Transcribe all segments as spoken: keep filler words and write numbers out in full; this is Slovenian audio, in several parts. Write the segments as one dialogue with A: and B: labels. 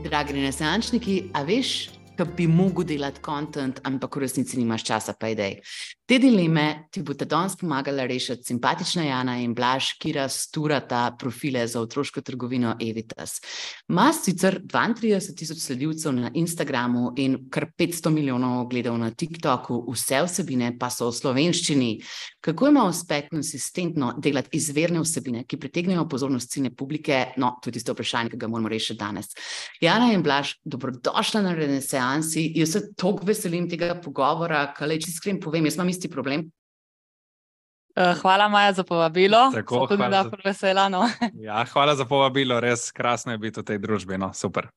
A: Dragi renesančniki, a veš, da bi mogel delati content, ampak v resnici nimaš časa, pa idej. Te dileme ti bo danes pomagala rešiti simpatična Jana in Blaž, ki rasturata profile za otroško trgovino Evitas. Ma sicer dvaintrideset tisoč sledilcev na Instagramu in kar petsto milijonov ogledov na TikToku, vse vsebine pa so v slovenščini. Kako ima uspeh konsistentno delati izvirne vsebine, ki pritegnejo pozornost ciljne publike? No, to je tisto vprašanje, ki ga moramo rešiti danes. Jana in Blaž, dobrodošla na Renesansi. Jaz se toliko veselim tega pogovora, kaj če iskreno povem, jaz imam isti problem.
B: Hvala, Maja, za povabilo.
C: Tako,
B: Sem tudi
C: hvala
B: za... vesela, no.
C: Ja, hvala za povabilo, res krasno je biti v tej družbi, no, super.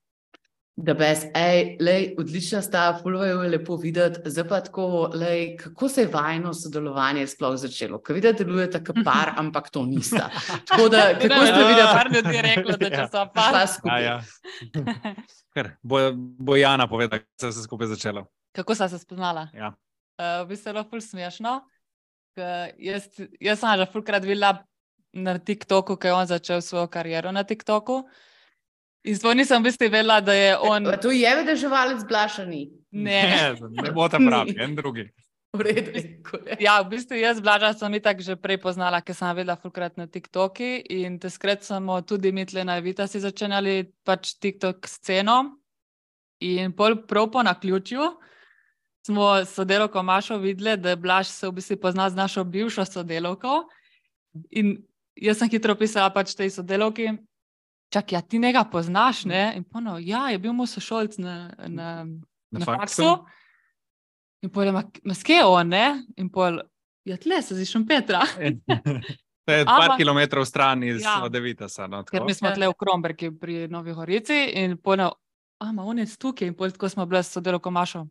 A: The best. Ej, lej, odlična sta, ful je lepo videti. Zdaj pa tako, lej, kako se je vajno sodelovanje sploh začelo? Ko vidite, delujete kot par, ampak to nista. Tako da, kako ste videli?
B: Par ljudi je reklo, da če so par.
A: Šla skupaj.
C: Ja, ja. Ker, bo, bo Jana povedala, kako se je skupaj začelo.
B: Kako sta se spoznala?
C: Ja.
B: Uh, v bistvu je ful smešno. Jaz, jaz sem že fulkrat videla na TikToku, ko je on začel svojo kariero na TikToku. In svoj nisem v bistvu vedela, da je on...
A: E, to je vedeževalec Blažani.
B: Ne.
C: Ne, ne bo ta pravi, en drugi.
A: V redu.
B: Ja, v bistvu jaz Blaža sem itak že prej poznala, ker sem vedela fulkrat na TikToki in teskrat smo tudi mi tle na Evitasi začenjali pač TikTok sceno. In pol prav po naključju smo s sodelavko Mašo videli, da Blaž se v bistvu pozna z našo bivšo sodelavko. In jaz sem hitro pisala pač tej sodelavki, čak, ja, ti njega poznaš, ne? In pono, ja, je bil moj sošolc na, na, na, na faksu. In pol je, ma, ma skje on, ne? In pol, ja, tle se zišem Petra.
C: To je par kilometrov stran iz
B: ja.
C: Evitasa. No,
B: ker mi smo tle v Krombergi pri Novi Gorici in pono, a, ma on je tukaj. In pol tako smo bili s sodelavko Mašo.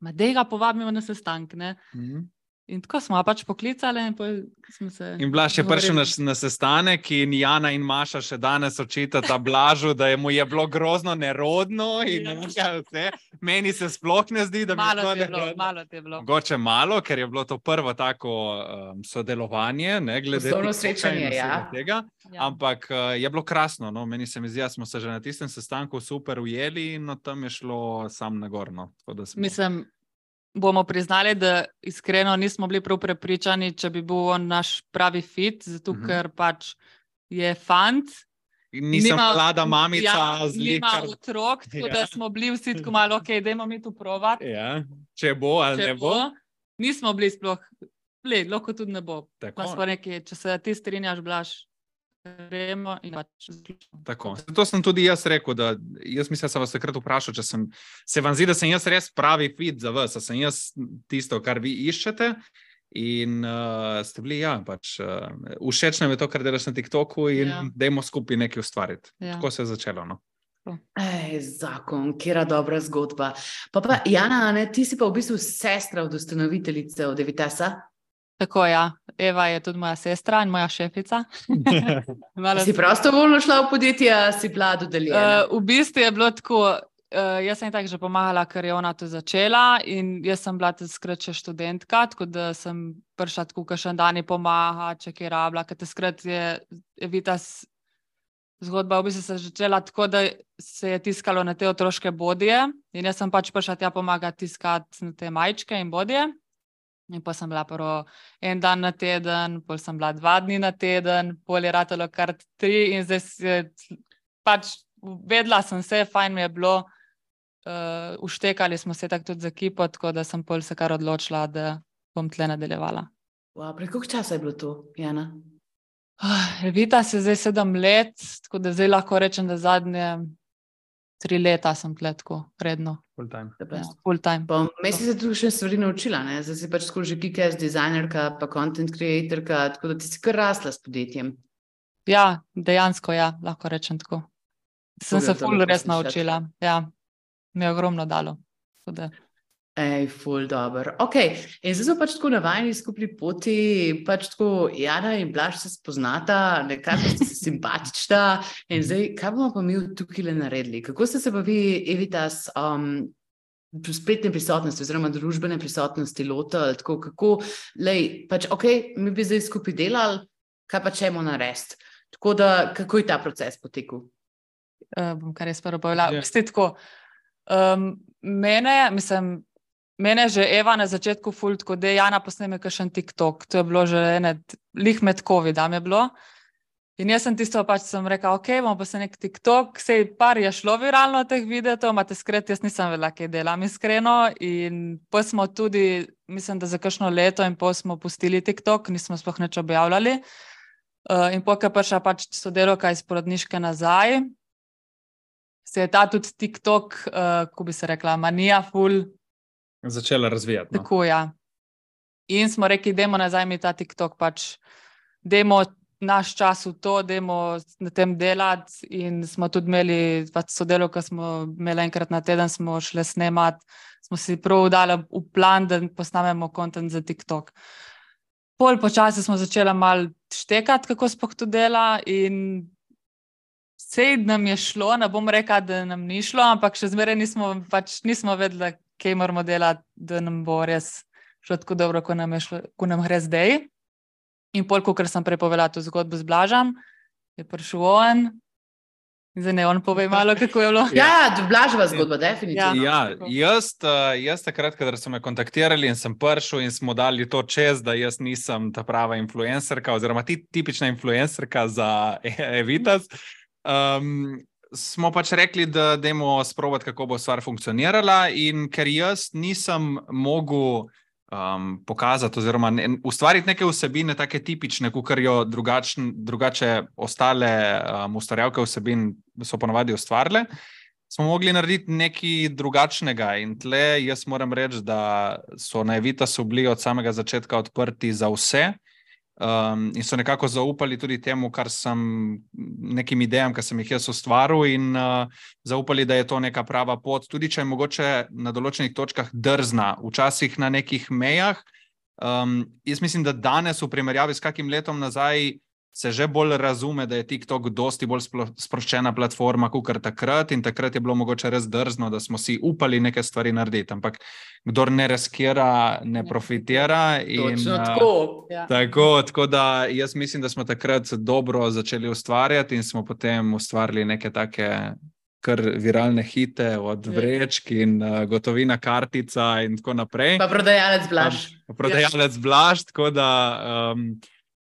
B: Ma dej ga povabimo na sestank, ne? Mm-hmm. In tako smo pač poklicali in pol smo se...
C: In Blaž je prišel na, na sestanek in Jana in Maša še danes očitata Blažu, da je mu je bilo grozno nerodno in ja. nekaj vse. Meni se sploh ne zdi, da bi
B: malo
C: bilo
B: nerodno. Bilo, malo te je bilo.
C: Mogoče malo, ker je bilo to prvo tako um, sodelovanje, ne, glede
A: srečanje, ja.
C: tega.
B: Ja.
C: Ampak uh, je bilo krasno, no, meni se mi zdi, da smo se že na tistem sestanku super ujeli in no, tam je šlo sam nagorno. Smo...
B: Mislim, bomo priznali, da iskreno nismo bili prav prepričani, če bi bil on naš pravi fit, zato uh-huh. ker pač je fant.
C: Nisem nima, mlada mamica
B: ja,
C: z lihkar.
B: Nima otrok, tako ja. da smo bili vsi tako malo, ok, dajmo mi tu provat.
C: Ja. Če bo ali
B: če
C: ne bo. bo.
B: Nismo bili sploh, le, lahko tudi ne bo.
C: Tako.
B: Nekaj, če se ti strinjaš, Blaž, gremo in pač zaključimo.
C: Tako. To sem tudi jaz rekel, da jaz mislim, da sem vas takrat vprašal, če sem, se vam zdi, da sem jaz res pravi fit za vas, da sem jaz tisto, kar vi iščete in uh, ste bili, ja, pač uh, všeč nam je to, kar delaš na TikToku in ja. dajmo skupaj nekaj ustvariti.
B: Ja.
C: Tako se je začelo, no.
A: Ej, zakon, kjera dobra zgodba. Pa pa, Jana, ne, ti si pa v bistvu sestra od ustanoviteljice od Evitasa?
B: Tako, ja. Eva je tudi moja sestra in moja šefica.
A: Si prostovoljno šla v podjetje, a si bila dodeljena?
B: Uh, v bistvu je bilo tako, uh, jaz sem tako že pomagala, ker je ona to začela in jaz sem bila tudi skrat še študentka, tako da sem prišla tako kakšen dan pomaga, če kaj rabila, ker te skrat je Evitas zgodba v bistvu se začela tako, da se je tiskalo na te otroške bodije in jaz sem pač prišla tja pomagati tiskati na te majčke in bodije. In pa sem bila prvo en dan na teden, pol sem bila dva dni na teden, pol je ratalo kar tri in zdaj se, pač vedela sem se, fajn mi je bilo, uh, uštekali smo se tako tudi za ekipo, tako da sem pol se kar odločila, da bom tle nadaljevala.
A: Wow, pre koliko časa je bilo to, Jana?
B: Uh, Evita se zdaj sedem let, tako da zdaj lahko rečem, da zadnje tri leta sem tle tako redno.
C: Full time.
B: Ja, full time.
A: Pa mesi se tudi še stvari naučila, ne? Zdaj si pač skoro že kick-ass dizajnerka, pa content creatorka, tako da ti si kar rasla s podjetjem.
B: Ja, dejansko ja, lahko rečem tako. Sem se ful res naučila. Ja, mi je ogromno dalo. Tako
A: Ej, ful dober. Ok, in zdaj so pač tako navajeni skupni poti, pač tako Jana in Blaž se spoznata, nekako ste se simpatična in zdaj, kaj bomo pa mi tukaj le naredili? Kako ste se pa vi, Evitas, um, spletne prisotnosti oziroma družbene prisotnosti lotili, tako kako, lej, pač ok, mi bi zdaj skupaj delali, kaj pa čemo narediti? Tako da, kako je ta proces potekal?
B: uh, bom kar jaz prvo povedala. Yeah. Vsti tako, um, mene, mislim, mene je že Eva na začetku ful, tako da Jana posneme kakšen TikTok. To je bilo že ene, lih med covidom je bilo. In jaz sem tisto pač sem rekla, ok, bomo pa se nek TikTok, sej par je šlo viralno teh videotov, imate skret, jaz nisem vedela, kaj delam iskreno. In pa smo tudi, mislim, da za kakšno leto in pol smo pustili TikTok, nismo sploh nič objavljali. Uh, in potem je prišla pač sodelavka iz porodniške nazaj, se je ta tudi TikTok, uh, ko bi se rekla, manija ful.
C: Začela razvijati. No?
B: Tako, ja. In smo rekli, dajmo nazaj mi ta TikTok, pač dajmo naš čas v to, dajmo na tem delati in smo tudi imeli pač sodelavka, smo imeli enkrat na teden, smo šli snemati, smo si prav dali v plan, da posnamemo kontent za TikTok. Pol počasi smo začeli malo štekati, kako sploh to dela in sej nam je šlo, ne bom rekla, da nam ni šlo, ampak še zmeraj nismo, pač nismo vedeli, kaj moramo delati, da nam bo res šlo tako dobro, ko nam, je šlo, ko nam gre zdaj. In pol, ker sem prepovedala to zgodbo z Blažem, je prišel on. Zdaj ne, on pove malo, kako je bilo.
A: Ja, ja, Blaževa zgodba, definitivno.
C: Ja, jaz, jaz takrat, kadar so me kontaktirali in sem prišel in smo dali to čez, da jaz nisem ta prava influencerka oziroma ti, tipična influencerka za Evitas, um, smo pač rekli, da dajmo sprobati, kako bo stvar funkcionirala in ker jaz nisem mogel Um, pokazati oziroma ne, ustvariti neke vsebine, take tipične, kakor jo drugačne, drugače ostale um, ustvarjalke vsebin so ponavadi ustvarile, smo mogli narediti nekaj drugačnega in tle jaz moram reči, da so na Evitasu bili od samega začetka odprti za vse um, in so nekako zaupali tudi temu, kar sem, nekim idejam, kar sem jih jaz ustvaril in uh, zaupali, da je to neka prava pot, tudi če je mogoče na določenih točkah drzna, včasih na nekih mejah. Um, jaz mislim, da danes v primerjavi s kakim letom nazaj se že bolj razume, da je TikTok dosti bolj sproščena platforma, kakor takrat in takrat je bilo mogoče res drzno, da smo si upali neke stvari narediti, ampak kdor ne riskira, ne profitira. In,
A: Točno tako.
C: Ja. Tako, tako da jaz mislim, da smo takrat dobro začeli ustvarjati in smo potem ustvarili neke take kar viralne hite od vrečk in uh, gotovina kartica in tako naprej.
A: Pa prodajalec Blaž.
C: Pa prodajalec Blaž, tako da um,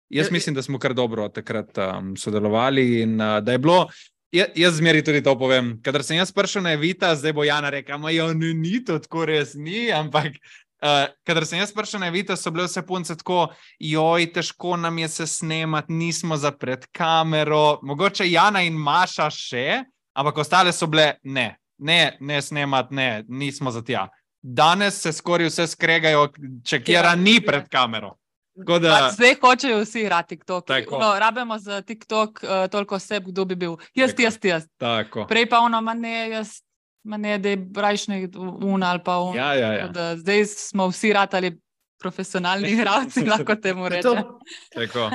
C: jaz mislim, da smo kar dobro takrat um, sodelovali in uh, da je bilo, jaz, jaz zmeri tudi to povem, kadar sem jaz prišel na Evita, zdaj bo Jana rekla, ma jo, ne, ni to tako res ni, ampak uh, kadar sem jaz prišel na Evita, so bile vse punce tako, joj, težko nam je se snemati, nismo za pred kamero, mogoče Jana in Maša še, ampak ostale so bile, ne, ne, ne snemati, ne, nismo za tja. Danes se skoraj vse skregajo, če kjera ni pred kamero. Da...
B: Zdaj hočejo vsi igrati TikTok. No, rabimo za TikTok uh, toliko oseb, kdo bi bil. Jaz, jaz, jaz.
C: Tako.
B: Prej pa ono, ma ne, jaz, ma ne, da je brajšnji un ali pa un.
C: Ja, ja, ja.
B: Da, zdaj smo vsi ratali profesionalni igralci, lahko temu rečem.
C: Tako.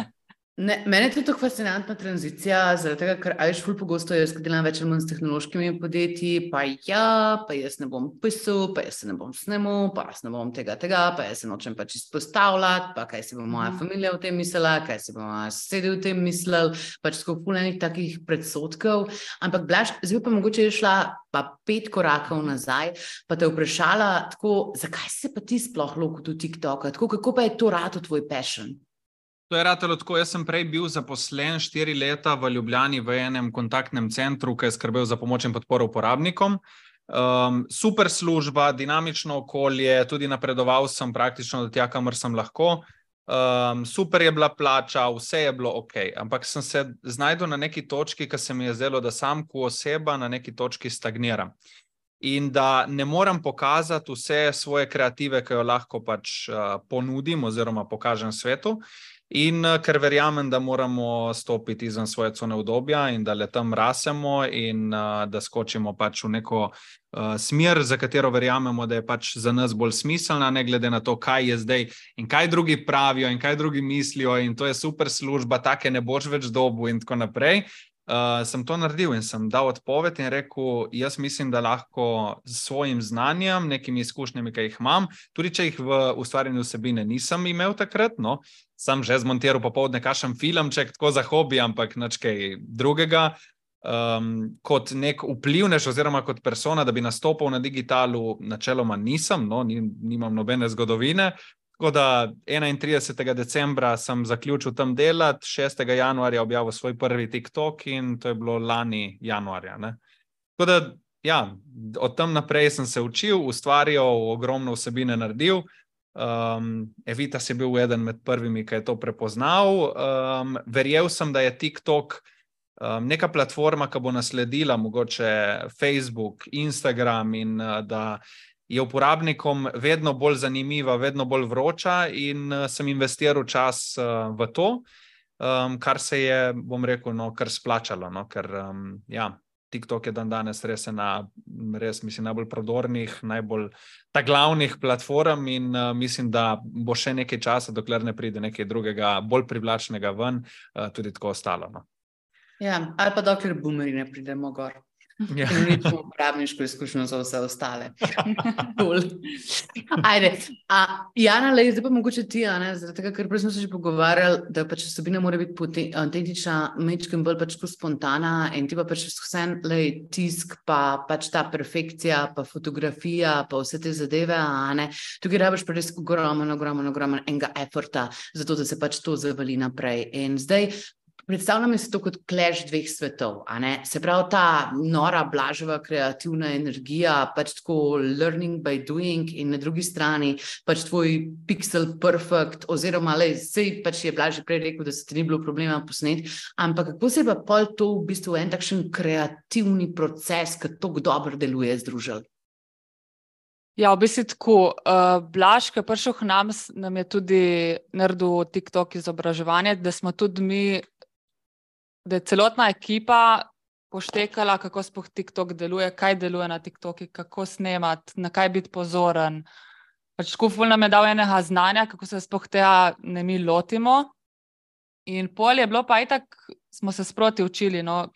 A: Ne, mene je tudi tako fascinantna tranzicija, zaradi tega, ker ajš ful pogosto jaz, kad delam več ali manj s tehnološkimi podjetji, pa ja, pa jaz ne bom pisal, pa jaz se ne bom snemal, pa jaz ne bom tega, tega, pa jaz se nočem pač izpostavljati, pa kaj si bo moja familija v tem mislila, kaj si bo moja sosedi v tem mislil, pač tako ful enih takih predsotkov, ampak Blaž, zdaj pa mogoče je šla pa pet korakov nazaj, pa te vprašala tako, zakaj se pa ti sploh lotil TikToka, tako kako pa je to rato tvoj passion?
C: To je ratelo tako, jaz sem prej bil zaposlen štiri leta v Ljubljani v enem kontaktnem centru, ki je skrbel za pomoč in podporo uporabnikom. Um, super služba, dinamično okolje, tudi napredoval sem praktično do tja, kamor sem lahko. Um, super je bila plača, vse je bilo ok, ampak sem se znajdel na neki točki, ki se mi je zdelo, da sam ko oseba na neki točki stagniram. In da ne moram pokazati vse svoje kreative, ki jo lahko pač uh, ponudim oziroma pokažem svetu. In ker verjamem, da moramo stopiti izven svoje cone udobja in da le tam rasemo in uh, da skočimo pač v neko uh, smer, za katero verjamemo, da je pač za nas bolj smiselna, ne glede na to, kaj je zdaj in kaj drugi pravijo in kaj drugi mislijo in to je super služba, take ne boš več dobu in tako naprej. Uh, sem to naredil in sem dal odpoved in rekel, jaz mislim, da lahko s svojim znanjem, nekimi izkušnjami, ki jih imam, tudi če jih v ustvarjanju vsebine nisem imel takrat, no, sem že zmontiral popoldne kakšen filmček, tako za hobi, ampak nič kaj drugega. um, kot nek vplivnež oziroma kot persona, da bi nastopil na digitalu, načeloma nisem, no, nimam nobene zgodovine. Tako da enaintridesetega decembra sem zaključil tam delati, šestega januarja objavil svoj prvi TikTok in to je bilo lani januarja. Ne? Tako da, ja, od tam naprej sem se učil, ustvarjal, ogromno vsebine naredil. Um, Evitas je bil eden med prvimi, ki je to prepoznal. Um, verjel sem, da je TikTok um, neka platforma, ki bo nasledila mogoče Facebook, Instagram in uh, da je uporabnikom vedno bolj zanimiva, vedno bolj vroča in uh, sem investiral čas uh, v to, um, kar se je, bom rekel, no, kar splačalo, no, ker um, ja, TikTok je dan danes res ena, res mislim, najbolj prodornih, najbolj ta glavnih platform in uh, mislim, da bo še nekaj časa, dokler ne pride nekaj drugega, bolj privlačnega ven, uh, tudi tako ostalo. No.
A: Ja, ali pa dokler boomeri ne pridemo gor. Ja. In ničemo uporabniško izkušnjo za vse ostale. Ajde, a, Jana, lej, zdaj pa mogoče ti, a ne, zaradi tega, ker prej smo se že pogovarjali, da pač vsebina mora biti autentična, mečkem bolj pač spontana in ti pa pač vsem, lej, tisk, pa pač ta perfekcija, pa fotografija, pa vse te zadeve, a ne, tukaj rabiš pa res ogromen, ogromen, ogromen enega efforta, zato da se pač to zavali naprej. In zdaj, predstavljam se to kot clash dveh svetov, a ne? Se pravi ta nora, blaževa, kreativna energija, pač tako learning by doing in na drugi strani pač tvoj pixel perfect oziroma lej, sej pač je Blaž prej rekel, da se ti ni bilo problema posneti, ampak kako se je pa pol to v bistvu en takšen kreativni proces, ki tako dobro deluje, združil?
B: Ja, v bistvu tako, uh, Blaž, ki je prišel k nam, nam je tudi naredil TikTok izobraževanje, da smo tudi mi da je celotna ekipa poštekala, kako sploh TikTok deluje, kaj deluje na TikToki, kako snemati, na kaj biti pozoren. Pač tako ful nam je dal enega znanja, kako se sploh tega ne mi lotimo. In pol je bilo pa itak, smo se sproti učili, no.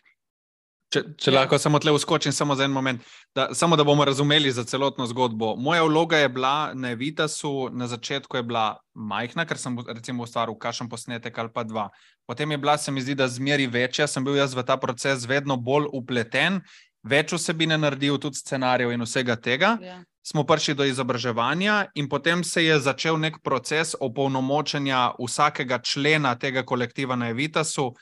C: Če, če ja. lahko samo tle uskočim samo za en moment, da, samo da bomo razumeli za celotno zgodbo. Moja vloga je bila na Evitasu, na začetku je bila majhna, ker sem recimo ustvaril kakšen posnetek ali pa dva. Potem je bila, se mi zdi, da zmeri večja, sem bil jaz v ta proces vedno bolj upleten, več vsebine naredil, tudi scenarijev in vsega tega. Ja. Smo prišli do izobraževanja in potem se je začel nek proces opolnomočenja vsakega člena tega kolektiva na Evitasu,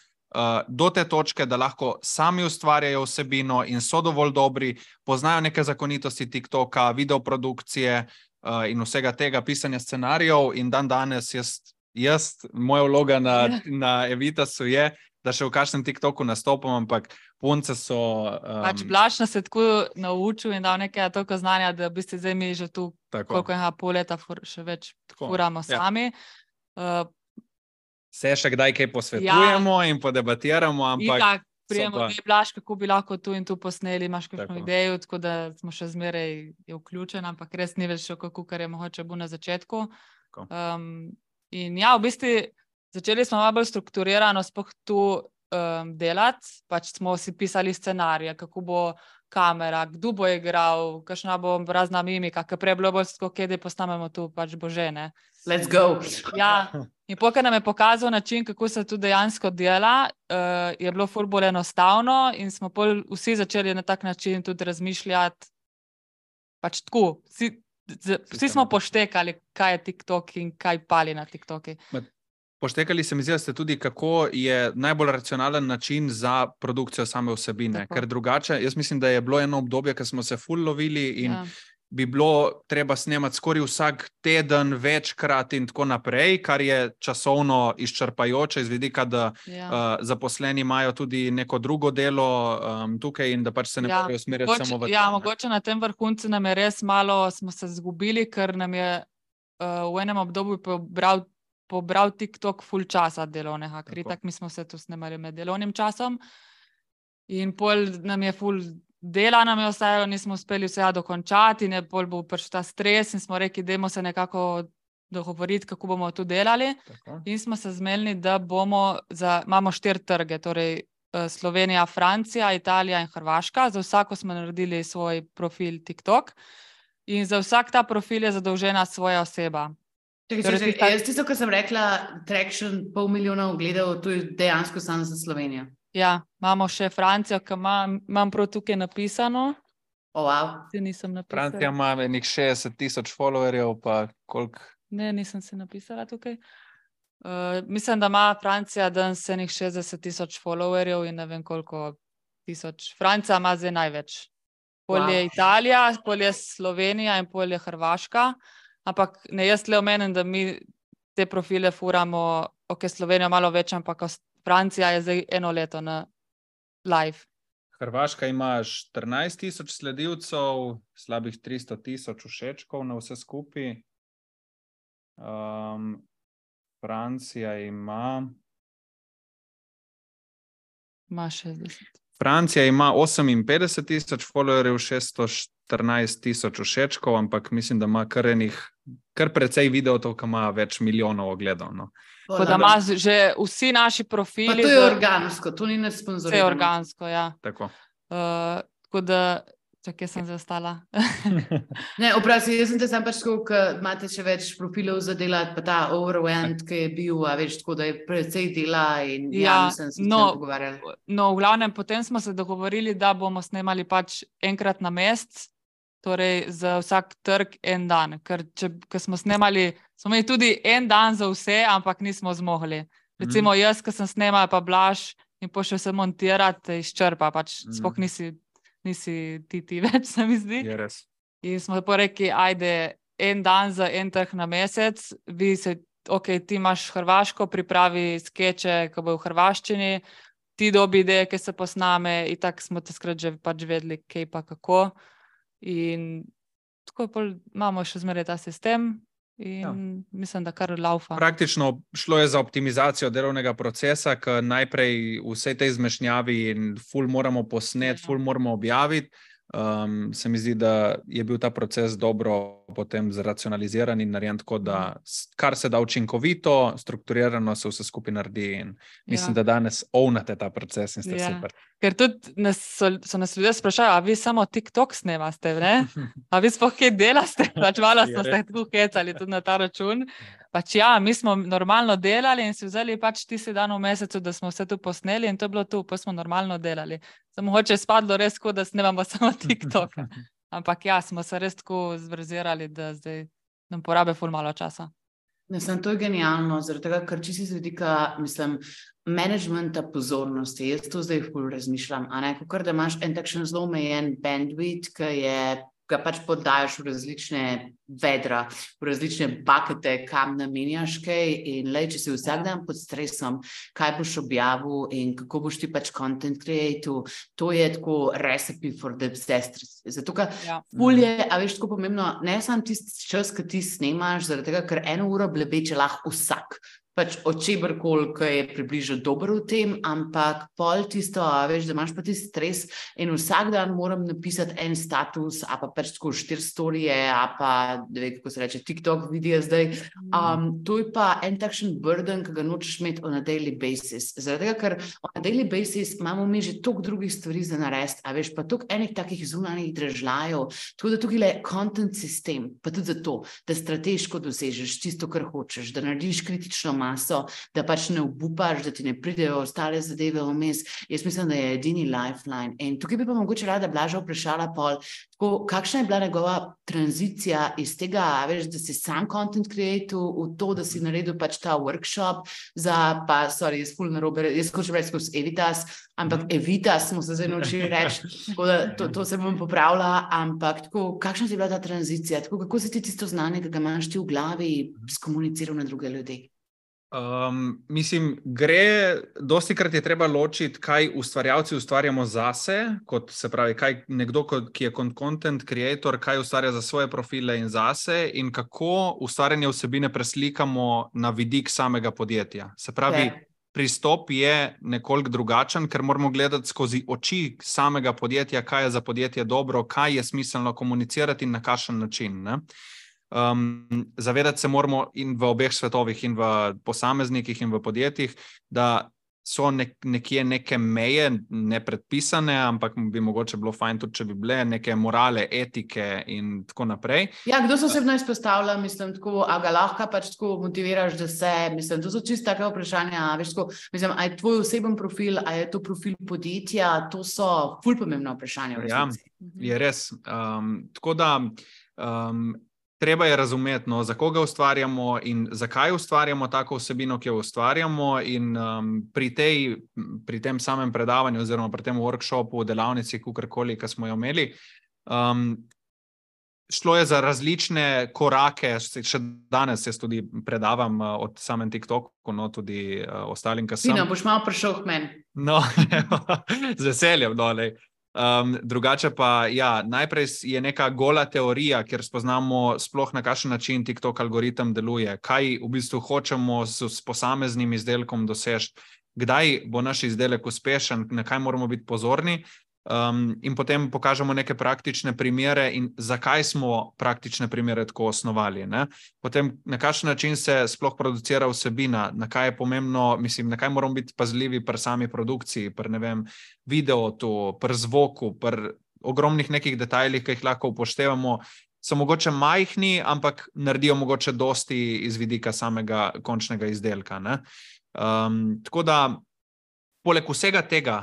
C: do te točke, da lahko sami ustvarjajo vsebino in so dovolj dobri, poznajo neke zakonitosti TikToka, videoprodukcije uh, in vsega tega, pisanja scenarijev in dan danes jaz, jaz moja vloga na, na Evitasu je, da še v kakšnem TikToku nastopam, ampak punce so... Um,
B: pač Blaž nas je tako naučil in dal nekaj toliko znanja, da bi ste zdaj mi že tu, tako. Koliko je pol leta fur, še več tako. Furamo sami. Ja. Uh,
C: Se še kdaj kaj posvetujemo ja. in podebatiramo, ampak...
B: Itak, prijemo, pa... Blaž, kako bi lahko tu in tu posneli, imaš kakšno idejo, tako da smo še zmeraj je vključen, ampak res ni več še kako, kar je mogoče bo na začetku. Um, in ja, v bistvu začeli smo malo bolj strukturirano sploh tu um, delati, pač smo si pisali scenarije, kako bo kamera, kdo bo igral, kakšna bo razna mimika, ker prej je bilo bolj tako, kje posnamemo tu, pač bo že, ne.
A: Let's go!
B: Ja, in pokaj nam je pokazal način, kako se tu dejansko dela, uh, je bilo ful bolj enostavno in smo pol vsi začeli na tak način tudi razmišljati, pač tako, vsi, z, vsi smo poštekali, kaj je TikTok in kaj pali na TikToki.
C: Poštekali se mi zdi, da ste tudi, kako je najbolj racionalen način za produkcijo same vsebine, tako. Ker drugače, jaz mislim, da je bilo eno obdobje, ko smo se ful lovili in ja. bi bilo treba snemati skoraj vsak teden, večkrat in tako naprej, kar je časovno izčrpajoče iz vidika, da ja. uh, zaposleni imajo tudi neko drugo delo um, tukaj in da pač se ne ja. morajo usmerjati Moč, samo v
B: Ja, to, mogoče na tem vrhuncu nam je res malo, smo se zgubili, ker nam je uh, v enem obdobju pobral pobral TikTok ful časa delovnega, ker tak mi smo se tu snemali med delovnim časom in pol nam je ful dela nam je ostajalo, nismo uspeli vsega dokončati in je pol bo prišel ta stres in smo rekli, dajmo se nekako dogovoriti, kako bomo tu delali. Tako. In smo se zmenili, da bomo, za, imamo štiri trge, torej Slovenija, Francija, Italija in Hrvaška, za vsako smo naredili svoj profil TikTok in za vsak ta profil je zadolžena svoja oseba.
A: Čekaj, torej, čekaj, jaz tisto, ko sem rekla, traction pol milijona ogledov, to je dejansko samo za Slovenijo.
B: Ja, imamo še Francijo, ki ima, imam prav tukaj napisano.
A: Oh, wow.
B: Se nisem napisala.
C: Francija ima enih šestdeset tisoč followerjev, pa koliko?
B: Ne, nisem se napisala tukaj. Uh, mislim, da ima Francija danes enih šestdeset tisoč followerjev in ne vem koliko tisoč. Francija ima zdaj največ. Pol je
A: Wow.
B: Italija, pol je Slovenija in pol je Hrvaška. Ampak ne, jaz le omenim, da mi te profile furamo, ok, Slovenija malo več, ampak Francija je zdaj eno leto na live.
C: Hrvaška ima štirinajst tisoč sledilcev, slabih tristo tisoč všečkov na vse skupaj. Um, Francija ima...
B: Ima šestdeset.
C: Francija ima oseminpetdeset tisoč followerjev, šeststo štirinajst tisoč všečkov, ampak mislim, da ima kar enih, kar precej videotov, ki ima več milijonov ogledov. No.
B: Tako da ima že vsi naši profili.
A: Pa to je
B: za-
A: organsko, to ni nas
B: Vse
A: sponzorirano.
B: je organsko, ja.
C: Tako.
B: Uh, tako da, čakaj, sem zastala.
A: Ne, oprosti, jaz sem te sam pač tako, ker imate še več profilov za delati, pa ta overwhelmed, ki je bil, a veš, tako da je precej dela in ja,
B: Ja,
A: mislim, sem
B: no,
A: se pogovarjali.
B: No, v glavnem, potem smo se dogovorili, da bomo snemali pač enkrat na mesec, torej za vsak trg en dan. Ker če, ker smo snemali, smo imeli tudi en dan za vse, ampak nismo zmogli. Recimo jaz, ki sem snemala, pa Blaž in pošel se montirati, izčrpa, pač
C: Mhm.
B: sploh nisi, nisi ti ti več, se mi zdi.
C: Je res.
B: In smo pa rekli, ajde, en dan za en trg na mesec, vi se, ok, ti imaš Hrvaško, pripravi skeče, ki bojo v hrvaščini, ti dobi ideje, ki se posname, in tako smo te skrat že pač vedeli, kaj pa kako. In tako pol imamo še zmeraj ta sistem in
C: Ja.
B: mislim, da kar laufa.
C: Praktično šlo je za optimizacijo delovnega procesa, ki najprej vse te izmešnjavi in ful moramo posnet,
B: Ja.
C: ful moramo objaviti. Um, se mi zdi, da je bil ta proces dobro potem zracionaliziran in narejen tako, da s- kar se da učinkovito, strukturirano se vse skupaj naredi in mislim,
B: Ja.
C: da danes ovnate ta proces in ste
B: Ja.
C: super.
B: Ker tudi nas so, so nas ljudje sprašali, a vi samo TikTok snemaste, ne? A vi sploh kaj delaste? Pač malo
C: Je
B: smo se
C: res.
B: tako hecali tudi na ta račun. Pač ja, mi smo normalno delali in si vzeli pač tisti dan v mesecu, da smo vse tu posneli in to je bilo tu, pa smo normalno delali. Samo mogoče je spadlo res tako, da snemamo samo TikToka. Ampak ja, smo se res tako zverzirali, da zdaj nam porabe ful malo časa.
A: Ne, sem, to je genialno, zaradi tega, ker čisto z vidika, mislim, menedžmenta pozornosti. Jaz to zdaj ful razmišljam, a ne, kakor da imaš en takšen zelo omejen bandwidth, ki je, ga pač podajaš v različne vedra, v različne bakete, kam namenjaš kaj in lej, če si vsak dan pod stresom, kaj boš objavil in kako boš ti pač content creative, to je tako recipe for the disaster. Zato, ker
B: Ja.
A: ful je, a veš, tako pomembno, ne samo tisti čas, ki ti snemaš, zaradi tega, ker eno uro blebeče lahko vsak. Pač od čeberkoli, ki je približno dober v tem, ampak pol tisto, a veš, da imaš pa tisti stres in vsak dan moram napisati en status, a pa pač tako štiri storije, a pa, ne vem, kako se reče, TikTok videa zdaj. Um, to je pa en takšen burden, ki ga nočeš imeti on a daily basis. Zaradi tega, ker on a daily basis imamo mi že toliko drugih stvari za narediti, a veš, pa toliko enih takih zunanjih dražljajev, tako da tukaj je content sistem, pa tudi zato, da strateško dosežeš tisto, kar hočeš, da narediš kritično maso, da pač ne obupaš, da ti ne pridejo ostale zadeve vmes. Jaz mislim, da je edini lifeline. In tukaj bi pa mogoče rada Blaža vprašala pol, tako, kakšna je bila njegova tranzicija iz tega, a veš, da si sam content creator, v to, da si naredil pač ta workshop za, pa, sorry, jaz ful narobe, jaz hočem reči skozi Evitas, ampak Evitas smo se zdaj naučili reči, tako da to, to se bom popravila, ampak tako, kakšna je bila ta tranzicija, tako, kako si ti tisto znanje, ki ga imaš ti v glavi, skomuniciral na druge ljudi?
C: Um, mislim, gre, dosti krat je treba ločiti, kaj ustvarjalci ustvarjamo zase, kot se pravi, kaj nekdo, kot, ki je content creator, kaj ustvarja za svoje profile in zase in kako ustvarjanje vsebine preslikamo na vidik samega podjetja. Se pravi,
A: Okay.
C: pristop je nekoliko drugačen, ker moramo gledati skozi oči samega podjetja, kaj je za podjetje dobro, kaj je smiselno komunicirati in na kakšen način, ne? Um, zavedati se moramo in v obeh svetovih, in v posameznikih, in v podjetjih, da so nek, nekje neke meje, ne predpisane, ampak bi mogoče bilo fajn tudi, če bi bile neke morale, etike in tako naprej.
A: Ja, kdo se osebno izpostavlja, mislim, tako, a ga lahko pač tako motiviraš, da se, mislim, to so čisto take vprašanja, veš, tako, mislim, a je tvoj oseben profil, a je to profil podjetja, to so ful pomembna vprašanja v resnici.
C: Ja, je res. Um, tako da, um, treba je razumeti, no, za koga ustvarjamo in zakaj ustvarjamo tako vsebino, ki jo ustvarjamo in um, pri, tej, pri tem samem predavanju oziroma pri tem workshopu, delavnici, kakorkoli, ki smo jo imeli, um, šlo je za različne korake, še danes jaz tudi predavam uh, od samem TikToku, no, tudi uh, ostalim, ki sem.
A: Fino, boš malo prišel k meni.
C: No, z veseljem, no, lej. Um, drugače pa, ja, najprej je neka gola teorija, kjer spoznamo sploh na kakšen način TikTok algoritem deluje, kaj v bistvu hočemo s, s posameznim izdelkom doseči, kdaj bo naš izdelek uspešen, na kaj moramo biti pozorni. Um, in potem pokažemo neke praktične primere in zakaj smo praktične primere tako osnovali. Ne? Potem na kakšen način se sploh producira vsebina, na kaj je pomembno, mislim, na kaj moramo biti pazljivi pri sami produkciji, pri, ne vem, videotu, pri zvoku, pri ogromnih nekih detajlih, ki jih lahko upoštevamo, so mogoče majhni, ampak naredijo mogoče dosti iz vidika samega končnega izdelka. Ne? Um, tako da poleg vsega tega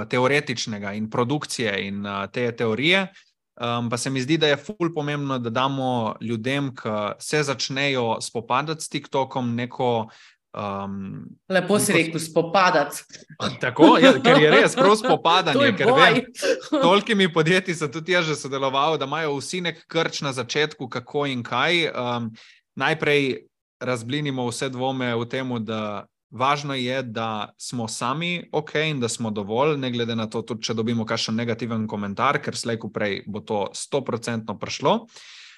C: teoretičnega in produkcije in te teorije, um, pa se mi zdi, da je ful pomembno, da damo ljudem, ki se začnejo spopadati s TikTokom, neko... Um,
A: Lepo si
C: neko...
A: rekel, spopadati.
C: Tako, ja, ker je res prav spopadanje.
A: To je
C: ker
A: boj.
C: vem, tolikimi podjetji sem tudi jaz že sodeloval, da imajo vsi nek krč na začetku, kako in kaj. Um, najprej razblinimo vse dvome v temu, da važno je, da smo sami ok in da smo dovolj, ne glede na to, tudi če dobimo kakšen negativen komentar, ker slej ko prej bo to sto procentno prišlo.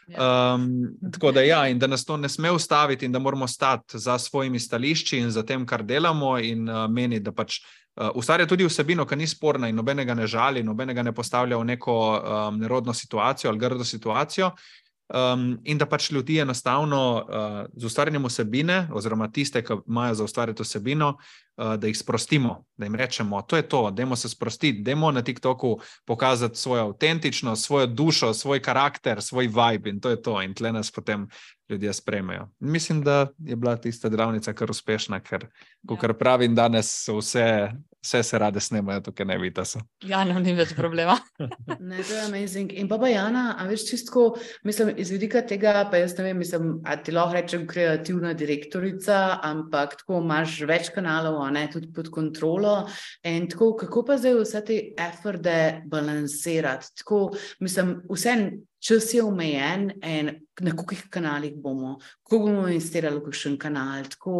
C: Um, tako da ja, in da nas to ne sme ustaviti in da moramo stati za svojimi stališči in za tem, kar delamo in uh, meni, da pač uh, ustvarja tudi vsebino, ki ni sporna in nobenega ne žali, nobenega ne postavlja v neko um, nerodno situacijo ali grdo situacijo. Um, in da pač ljudi enostavno uh, z ustvarjanjem vsebine, oziroma tiste, ki imajo za ustvarjati vsebino, uh, da jih sprostimo, da jim rečemo, to je to, dajmo se sprostiti, dajmo na TikToku pokazati svojo avtentičnost, svojo dušo, svoj karakter, svoj vibe in to je to. In tle nas potem ljudje sprejmejo. Mislim, da je bila tista delavnica kar uspešna, ker, kakor pravim, danes so vse, vse se rade snemajo tukaj na Evitasu.
B: Ja, no, ni več problema.
A: Ne, to je amazing. In pa Jana, a veš čistko, mislim, iz vidika tega, pa jaz ne vem, mislim, a ti lahko rečem kreativna direktorica, ampak tako imaš več kanalov, a ne, tudi pod kontrolo. In tako, kako pa zdaj vse te eforde balansirati? Tako, mislim, vse čas je omejen in na kolikih kanalih bomo, kako bomo investirali v kakšen kanal, tako,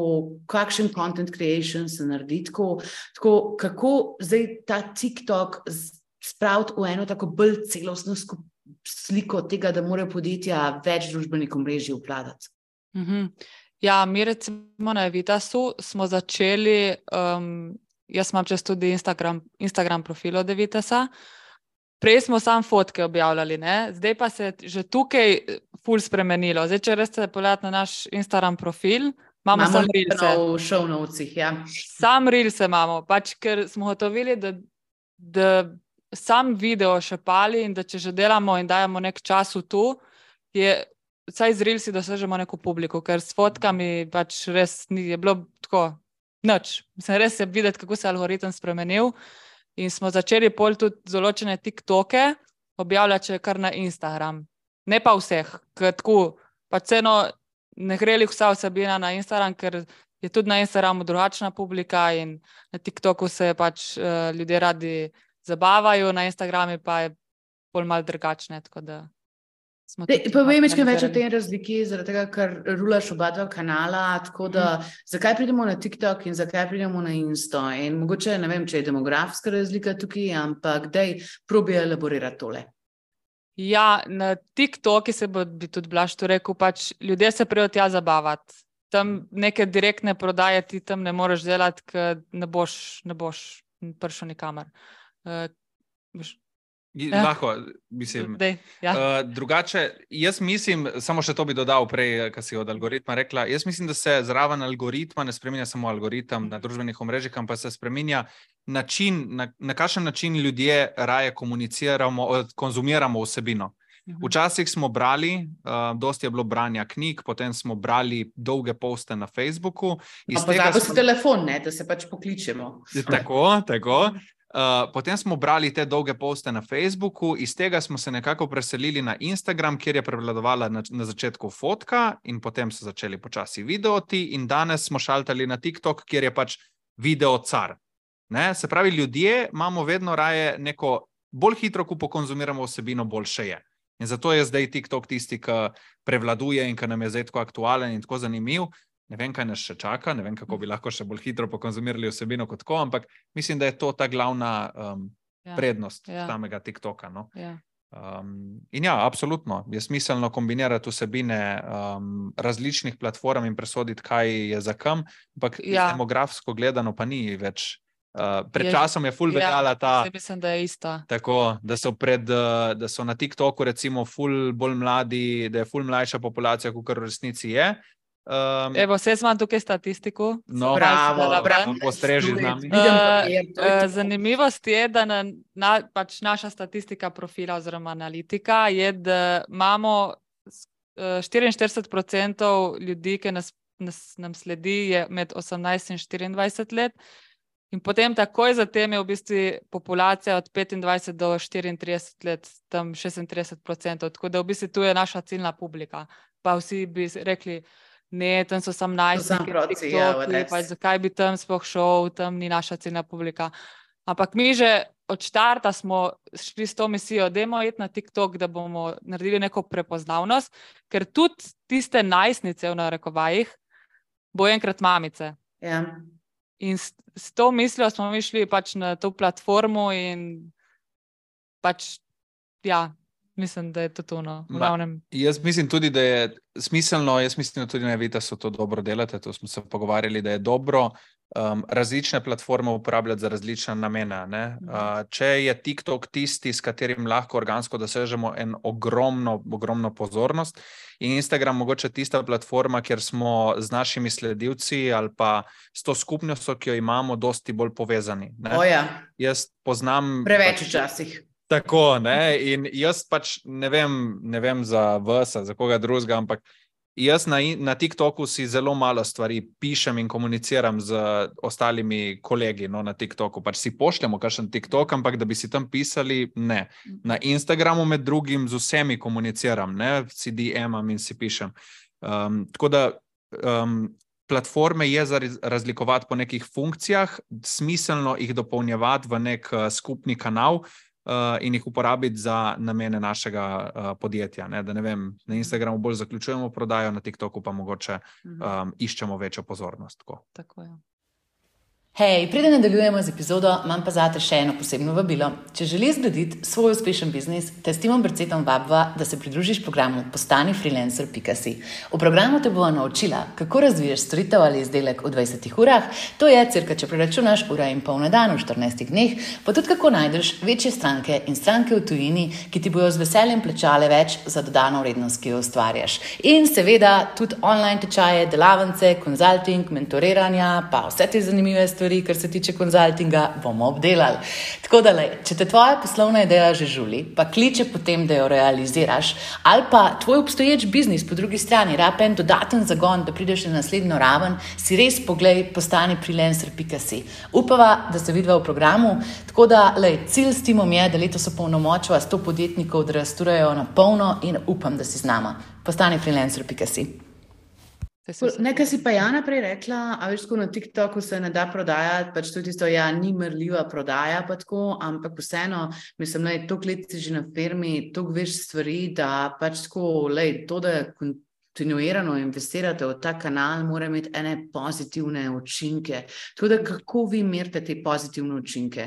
A: kakšen content creation se naredi, tako, tako, kako zdaj ta TikTok spraviti v eno tako bolj celostno sliko tega, da morajo podjetja več družbenih omrežij obvladati.
B: Mm-hmm. Ja, mi recimo na Evitasu smo začeli, um, jaz imam čez tudi Instagram, Instagram profil od Evitasa. Prej smo sam fotke objavljali, ne? Zdaj pa se je že tukaj ful spremenilo. Zdaj, če res ste pogledati na naš Instagram profil, imamo, imamo sam Reelse.
A: V show notesih, ja.
B: Sam Reelse imamo, pač ker smo gotovili, da, da sam video še pali in da če že delamo in dajemo nek čas v tu, je vsaj z Reelsi dosežemo neko publiko, ker s fotkami pač res ni, je bilo tako nič. Mislim, res je videti, kako se je algoritem spremenil. In smo začeli pol tudi določene TikToke objavljati še kar na Instagram. Ne pa vseh, ker tako, pač ceno ne gre li vsa vsebina na Instagram, ker je tudi na Instagramu drugačna publika in na TikToku se pač uh, ljudje radi zabavajo, na Instagrami pa je pol malo drugačne, tako da
A: Povej mi, kaj več o tej razliki, zaradi tega, ker rulaš oba dva kanala, tako da mm. zakaj pridemo na TikTok in zakaj pridemo na Insto? In mogoče, ne vem, če je demografska razlika tukaj, ampak daj, probi elaborirati tole.
B: Ja, na TikToki se bo, bi tudi Blaž to rekel, pač ljudje se prijo tja zabavati. Tam neke direktne prodaje ti tam ne moreš delati, ker ne boš, ne boš prišel nikamor. Uh,
C: Ja. Lahko, mislim.
B: Dej, ja.
C: uh, drugače, jaz mislim, samo še to bi dodal prej, kar si od algoritma rekla, jaz mislim, da se zraven algoritma ne spreminja samo algoritem na družbenih omrežjih, ampak se spreminja način, na, na kakšen način ljudje raje komuniciramo, konzumiramo vsebino. Včasih smo brali, uh, dosti je bilo branja knjig, potem smo brali dolge poste na Facebooku.
A: Pozabil si telefon, ne, da se pač pokličemo.
C: Tako, tako. Uh, potem smo brali te dolge poste na Facebooku, iz tega smo se nekako preselili na Instagram, kjer je prevladovala na, na začetku fotka in potem so začeli počasi videoti in danes smo šaltali na TikTok, kjer je pač video car. Ne? Se pravi, ljudje imamo vedno raje neko bolj hitro, ko pokonzumiramo vsebino, boljše je. In zato je zdaj TikTok tisti, ki prevladuje in ki nam je zdaj tako aktualen in tako zanimiv. Ne vem, kaj nas še čaka, ne vem, kako bi lahko še bolj hitro pokonzumirali vsebino kot tako, ampak mislim, da je to ta glavna um, ja, prednost ja. samega TikToka. No? Ja. Um, in ja, absolutno, je smiselno kombinirati vsebine um, različnih platform in presoditi, kaj je za kam, ampak ja. demografsko gledano pa ni več. Uh, pred je, časom je ful veljala ta...
B: Ja, mislim, da je ista.
C: Tako, da so, pred, uh, da so na TikToku recimo ful bolj mladi, da je ful mlajša populacija, kakor v resnici je. Um,
B: Evo, vse imam tukaj statistiko.
C: No, bravo, bravo. Postreži z nami.
B: Uh, zanimivost je, da na, na, pač naša statistika profila oziroma analitika je, da imamo štiriinštirideset procentov ljudi, ki nas, nas, nam sledi, je med osemnajst in štiriindvajset let. In potem takoj zatem je v bistvu populacija od petindvajset do štiriintrideset let, tam šestintrideset procentov. Tako da v bistvu tu je naša ciljna publika. Pa vsi bi rekli, ne, tam so sam najstniki, TikToki, pa zakaj bi tam sploh šel, tam ni naša ciljna publika. Ampak mi že od štarta smo šli s to misijo, dajmo iti na TikTok, da bomo naredili neko prepoznavnost, ker tudi tiste najstnice v narekovajih bo enkrat mamice.
A: Ja.
B: In s, s to mislijo smo mi šli pač na to platformo in pač, ja, mislim, da je to to, no, v glavnem.
C: Jaz mislim tudi, da je smiselno, jaz mislim tudi, ne, da so to dobro delate, to smo se pogovarjali, da je dobro um, različne platforme uporabljati za različne namene. Ne? Uh, če je TikTok tisti, s katerim lahko organsko dosežemo en ogromno, ogromno pozornost, in Instagram mogoče tista platforma, kjer smo z našimi sledilci ali pa s to skupnostjo, ki jo imamo, dosti bolj povezani. Ne?
A: Oja.
C: Jaz poznam...
A: Preveč včasih.
C: Tako, ne, in jaz pač ne vem, ne vem za vas, za koga drugega, ampak jaz na, na TikToku si zelo malo stvari pišem in komuniciram z ostalimi kolegi, no, na TikToku. Pač si pošljamo kakšen TikTok, ampak da bi si tam pisali, ne. Na Instagramu med drugim z vsemi komuniciram, ne, si D M-am in si pišem. Um, tako da um, platforme je za razlikovati po nekih funkcijah, smiselno jih dopolnjevati v nek uh, skupni kanal, Uh, in jih uporabiti za namene našega uh, podjetja. Ne? Da ne vem, na Instagramu bolj zaključujemo prodajo, na TikToku pa mogoče um, iščemo večjo pozornost. Tako,
B: tako je.
D: Hej, preden nadaljujemo z epizodo, imam pa zate še eno posebno vabilo. Če želiš zgraditi svoj uspešen biznis, te s Timom Brcetom vabva, da se pridružiš programu postani freelancer pika si. V programu te bova naučila, kako razviješ storitev ali izdelek v dvajsetih urah, to je cirka, če preračunaš ura in pol na dan v štirinajstih dneh, pa tudi kako najdeš večje stranke in stranke v tujini, ki ti bojo z veseljem plačale več za dodano vrednost, ki jo ustvarjaš. In seveda tudi online tečaje, delavnice, konzulting, mentoriranja, pa vse te zanimive stvari, kar se tiče konzultinga, bomo obdelali. Tako da, lej, če te tvoja poslovna ideja že žuli, pa kliče potem, da jo realiziraš, ali pa tvoj obstoječ biznis po drugi strani rab en dodaten zagon, da prideš na naslednjo raven, si res poglej postani freelancer pika si. Upava, da se vidva v programu, tako da, lej, cilj s Timom je, da letos opolnomočiva sto podjetnikov, da rasturajo na polno in upam, da si z nama. Postani freelancer pika si.
A: Nekaj si pa Jana prej rekla, a veš, ko na TikToku se ne da prodajati, pač to je tisto, ja, ni merljiva prodaja pa tako, ampak vseeno, mislim, lej, toliko let si že na firmi, toliko veš stvari, da pač tako, lej, to, da kontinuirano investirate v ta kanal, mora imeti ene pozitivne učinke. Tako da, kako vi merite te pozitivne učinke?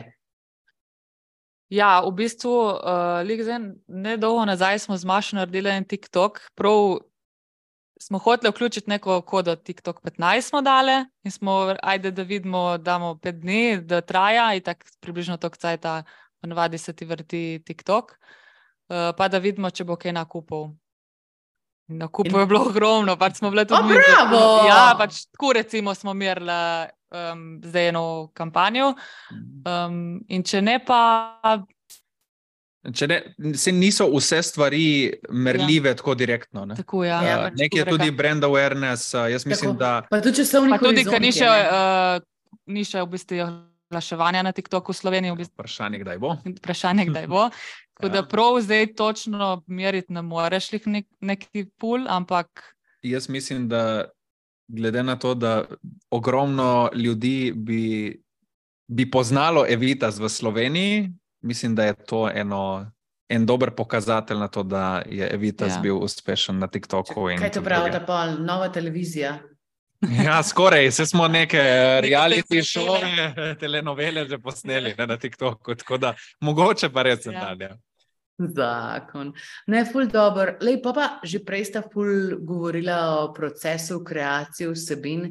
B: Ja, v bistvu, uh, lik zdaj, nedolgo nazaj smo z Mašo naredili en TikTok, prav smo hoteli vključiti neko kodo TikTok petnajst smo dale in smo, ajde, da vidimo, damo pet dni, da traja in tako približno toliko cajta ponavadi se ti vrti TikTok, uh, pa da vidimo, če bo kaj nakupov. Nakupov in... je bilo ogromno, pač smo bile tudi...
A: O, bravo!
B: Ja, pač tako recimo smo merili um, zdaj eno kampanjo um, in če ne pa...
C: Če ne, se niso vse stvari merljive ja. tako direktno. Ne?
B: Tako, ja.
A: Ja,
B: pač
C: nekaj je tudi brand awareness, jaz mislim,
A: tako.
C: da...
A: Pa tudi časovni
B: pa tudi, ker ni še,
A: horizont,
B: uh, ni še v bistvu oglaševanja na TikToku v Sloveniji. V bistvu.
C: Vprašanje, kdaj bo.
B: Vprašanje, kdaj bo. Tako da prav zdaj točno meriti ne moreš lih nek, neki pul, ampak...
C: Jaz mislim, da glede na to, da ogromno ljudi bi, bi poznalo Evitas v Sloveniji, mislim, da je to eno, en dober pokazatelj na to, da je Evitas ja. bil uspešen na TikToku.
A: Kaj to pravi, da pa nova televizija?
C: Ja, skoraj. Se smo neke reality šove, telenovele že posneli ne, na TikToku, tako da mogoče pa res ja. dalje.
A: Zakon. Ne, ful dober. Lej, pa pa že prej sta ful govorila o procesu kreacije vsebin,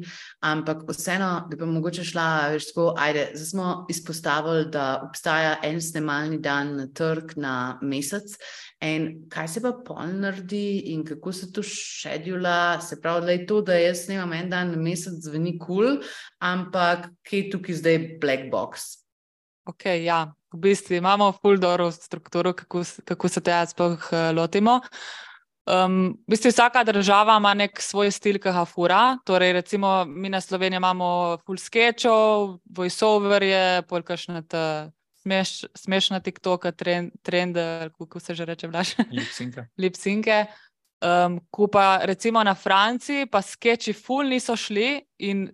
A: ampak vseeno, da pa mogoče šla, veš, tako, ajde, zdaj smo izpostavili, da obstaja en snemalni dan na trg na mesec in kaj se pa pol naredi in kako se to šedula, se pravi, lej, to, da jaz snemam en dan na mesec zveni cool, ampak kje je tukaj zdaj black box?
B: Ok, ja. V bistvu imamo ful dobro strukturo, kako, kako se tega sploh uh, lotimo. Um, v bistvu vsaka država ima nek svoj stil, ki ga fura. Torej, recimo, mi na Sloveniji imamo ful skečov, voiceoverje, pol kakšne smeš, smešna TikToka, trend, trend, kako se že reče, Blaž?
C: Lipsinke.
B: Lipsinke. Um, ko pa recimo na Franciji, pa skeči ful niso šli in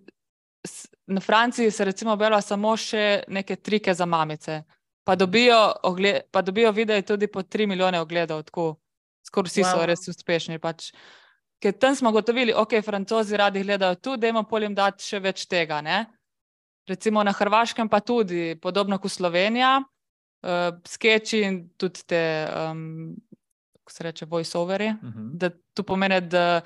B: na Franciji se recimo bela samo še neke trike za mamice. Pa dobijo, ogled, pa dobijo videi tudi po tri milijone ogledov, tako skoraj vsi wow. so res uspešni. Pač. Ker tam smo gotovili, ok, Francozi radi gledajo tu, dajmo pol jim dati še več tega. Ne? Recimo na Hrvaškem pa tudi, podobno kot Slovenija, uh, skeči in tudi te, um, kako se reče, voice-overi, uh -huh. da to pomeni, da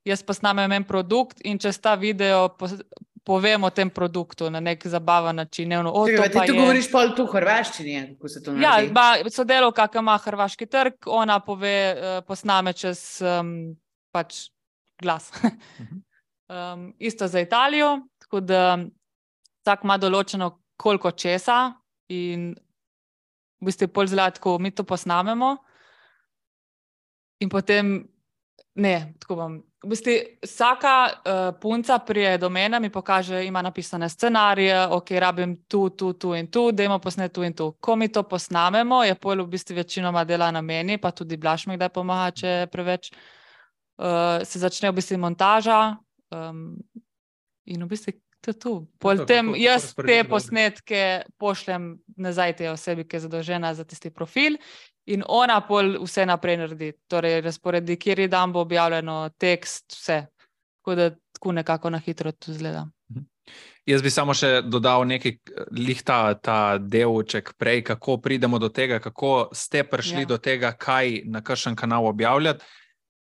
B: jaz posnamem en produkt in čez ta video pos- povem o tem produktu na nek zabaven način. Ne, o,
A: Čekaj,
B: to
A: ti tu
B: je...
A: govoriš pol tu v hrvaščini, kako se to naredi?
B: Ja, ba, sodelovka, ki ima hrvaški trg, ona pove, uh, posname čez um, pač glas. um, isto za Italijo, tako da vsak ima določeno koliko česa in v bistvu pol zlatko mi to posnamemo in potem ne, tako bom. V bistvu vsaka uh, punca prije do mene, mi pokaže, ima napisane scenarije, ok, rabim tu, tu, tu in tu, dajmo posnet tu in tu. Ko mi to posnamemo, je pol v bistvu večinoma dela na meni, pa tudi Blaž mi kdaj pomaga, če je preveč. Uh, se začne v bistvu montaža um, in v bistvu to je tu. Pol tem jaz te posnetke pošljem nazaj tej osebi, ki je zadolžena za tisti profil in ona pol vse naprej naredi. Torej, razporedi, kjer je dan bo objavljeno, tekst, vse. Tako da tako nekako na hitro to izgleda.
C: Jaz bi samo še dodal nekaj, lih ta, ta delček prej, kako pridemo do tega, kako ste prišli ja. do tega, kaj na kakšen kanal objavljati.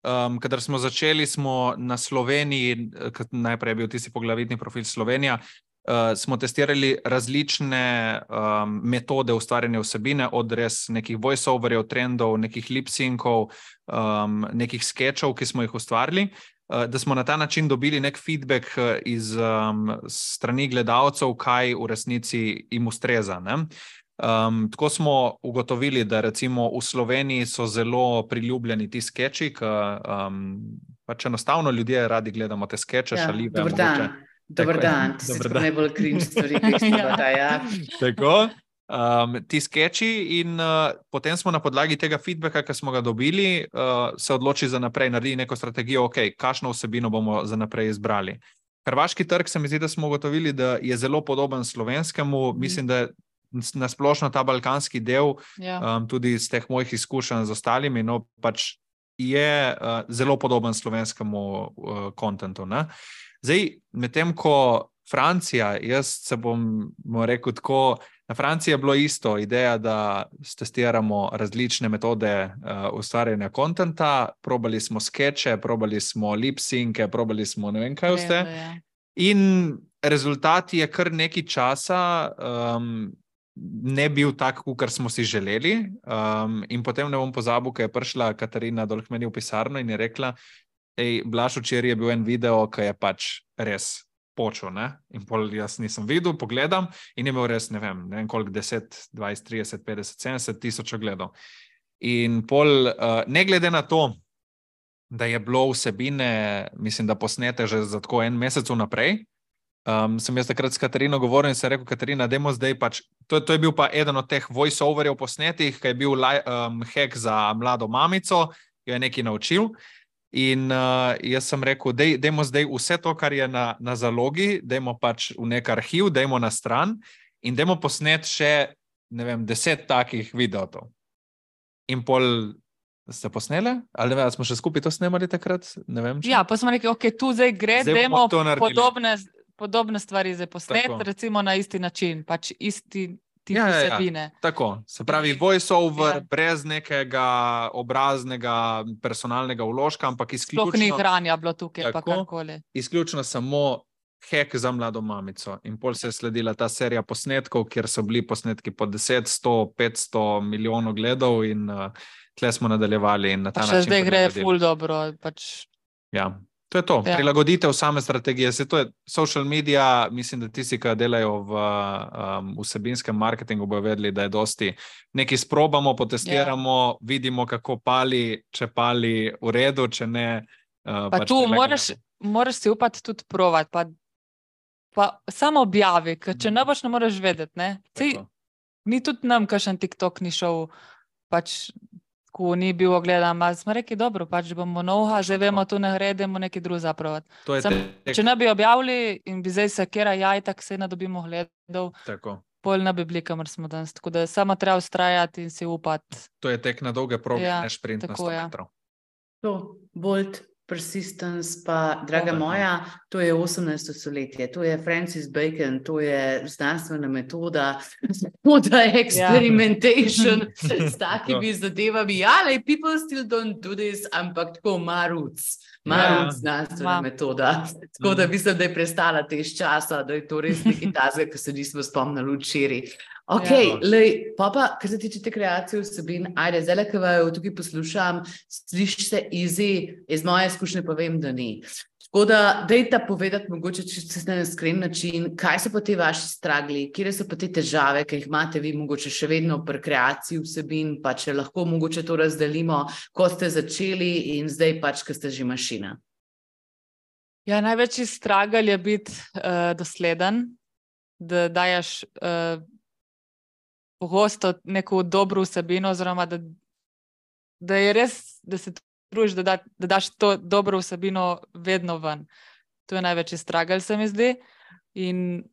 C: Um, kadar smo začeli, smo na Sloveniji, najprej je bil tisti poglavitni profil Slovenija, uh, smo testirali različne um, metode ustvarjanja vsebine, od res nekih voice-overjev, trendov, nekih lip-synkov, um, nekih skečov, ki smo jih ustvarili, uh, da smo na ta način dobili nek feedback iz um, strani gledalcev, kaj v resnici jim ustreza, ne? Um, tako smo ugotovili, da recimo v Sloveniji so zelo priljubljeni ti skeči, ki um, pač enostavno ljudje radi gledamo te skeče, ja, šalive.
A: Dobar dan, dobar dan, ti si tako najbolj cringe stvari, ki jih ja. ja.
C: Tako, um, ti skeči in uh, potem smo na podlagi tega feedbacka, ki smo ga dobili, uh, se odloči za naprej, naredi neko strategijo, ok, kakšno vsebino bomo za naprej izbrali. Hrvaški trg se mi zdi, da smo ugotovili, da je zelo podoben slovenskemu, mm. mislim, da je nasplošno ta balkanski del, ja. um, tudi iz teh mojih izkušenj z ostalimi, no pač je uh, zelo podoben slovenskemu kontentu. Uh, Zdaj, medtem ko Francija, jaz se bom, bom rekel tako, na Franciji je bilo isto, ideja, da testiramo različne metode uh, ustvarjanja kontenta, probali smo skeče, probali smo lip-synke, probali smo ne vem kaj vse. Ja. In rezultat je kar nekaj časa um, ne bil tak, kar smo si želeli. Um, in potem ne bom pozabil, ko je prišla Katarina dol k meni v pisarno in je rekla, ej, Blaž, včeraj je bil en video, ki je pač res počel, ne? In pol jaz nisem videl, pogledam in je imel res, ne vem, ne vem koliko, deset, dvajset, trideset, petdeset, sedemdeset tisoč ogledov. In pol, uh, ne glede na to, da je bilo vsebine, mislim, da posnete že za tako en mesec vnaprej, um, sem jaz takrat s Katarino govoril in sem rekel, Katarina, dajmo zdaj pač, to, to je bil pa eden od teh voice-overjev posnetih, ki je bil um, hack za mlado mamico, jo je nekaj naučil. In uh, jaz sem rekel, dej, dejmo zdaj vse to, kar je na, na zalogi, dejmo pač v nek arhiv, dejmo na stran in dejmo posnet še, ne vem, deset takih videotov. In pol ste posnele? Ali ne, smo še skupaj to snemali takrat? Ne vem, če...
B: Ja, pa smo rekli, ok, tu zdaj gre,
C: Zdaj
B: dajmo
C: bomo to naredili.
B: podobne, podobne stvari zdaj posnet,
C: Tako.
B: recimo na isti način, pač isti tip
C: Ja, ja, ja.
B: vsebine.
C: Tako, se pravi voice-over,
B: Ja.
C: brez nekega obraznega, personalnega vložka, ampak
B: Sploh ni
C: izključno,
B: hranja bilo tukaj, pa
C: Tako.
B: karkoli.
C: izključno samo hack za mlado mamico. In pol se je sledila ta serija posnetkov, kjer so bili posnetki po deset, sto, petsto milijonov gledov in uh, tle smo nadaljevali in na ta
B: Pa še
C: način
B: zdaj gre
C: prilagodili.
B: ful dobro, pač
C: Ja, to je to.
B: Ja.
C: Prilagoditev same strategije. Se to je social media, mislim, da tisti, ki delajo v um, vsebinskem marketingu, bojo vedeli, da je dosti nekaj sprobamo, potestiramo,
B: Ja.
C: vidimo, kako pali, če pali v redu, če ne. Uh,
B: Pa
C: pač
B: tu
C: prilagodimo.
B: moraš, moraš si upati tudi provat, pa, pa samo objavi, ker če ne boš, ne moreš vedeti. Ne? Sej,
C: Tako.
B: ni tudi nam, kakšen TikTok ni šel, pač, ko ni bil ogledan. Ma smo rekli, dobro, pač bomo novha, zdaj vemo, tu ne gre, idemo nekaj drugega zapravati.
C: To je
B: Sam,
C: tek,
B: če ne bi objavili in bi zdaj se kera jaj, tako se ne dobimo gledov,
C: tako.
B: pol ne bi bili, kamor smo danes. Tako da samo treba ustrajati in si upati.
C: To je tek na dolge proge,
B: Ja,
C: ne šprint na
B: tako,
C: sto
B: ja.
C: metrov.
A: To, Bolt, Persistence, pa, draga
C: Tako.
A: moja, to je osemnajsto stoletje, to je Francis Bacon, to je znanstvena metoda, metoda experimentation s takimi zadevami. Ja, like, people still don't do this, ampak tako maruc, maruc
C: Ja.
A: znanstvena
B: Ma.
A: metoda. Tako da
C: Mhm.
A: mislim, da je prestala te iz časa, da je to res nekaj tazga, ki se nismo spomnili včeraj. Ok,
B: Ja.
A: lej, pa pa, kar se tiče te kreacije vsebin, ajde, zdaj, ko vaju tukaj poslušam, sliši se easy, iz moje izkušnje pa vem, da ni. Tako da, dajte povedati mogoče čisto na iskren način, kaj so pa te vaši stragli, kje so pa te težave, ki jih imate vi mogoče še vedno pri kreaciji vsebin, pa če lahko mogoče to razdelimo, ko ste začeli in zdaj pač, ko ste že mašina.
B: Ja, največji stragel je biti uh, dosleden, da daješ uh, pogosto neko dobro vsebino, oziroma da, da je res, da se trudiš, da, da, da daš to dobro vsebino vedno ven. To je največji stragel, se mi zdi. In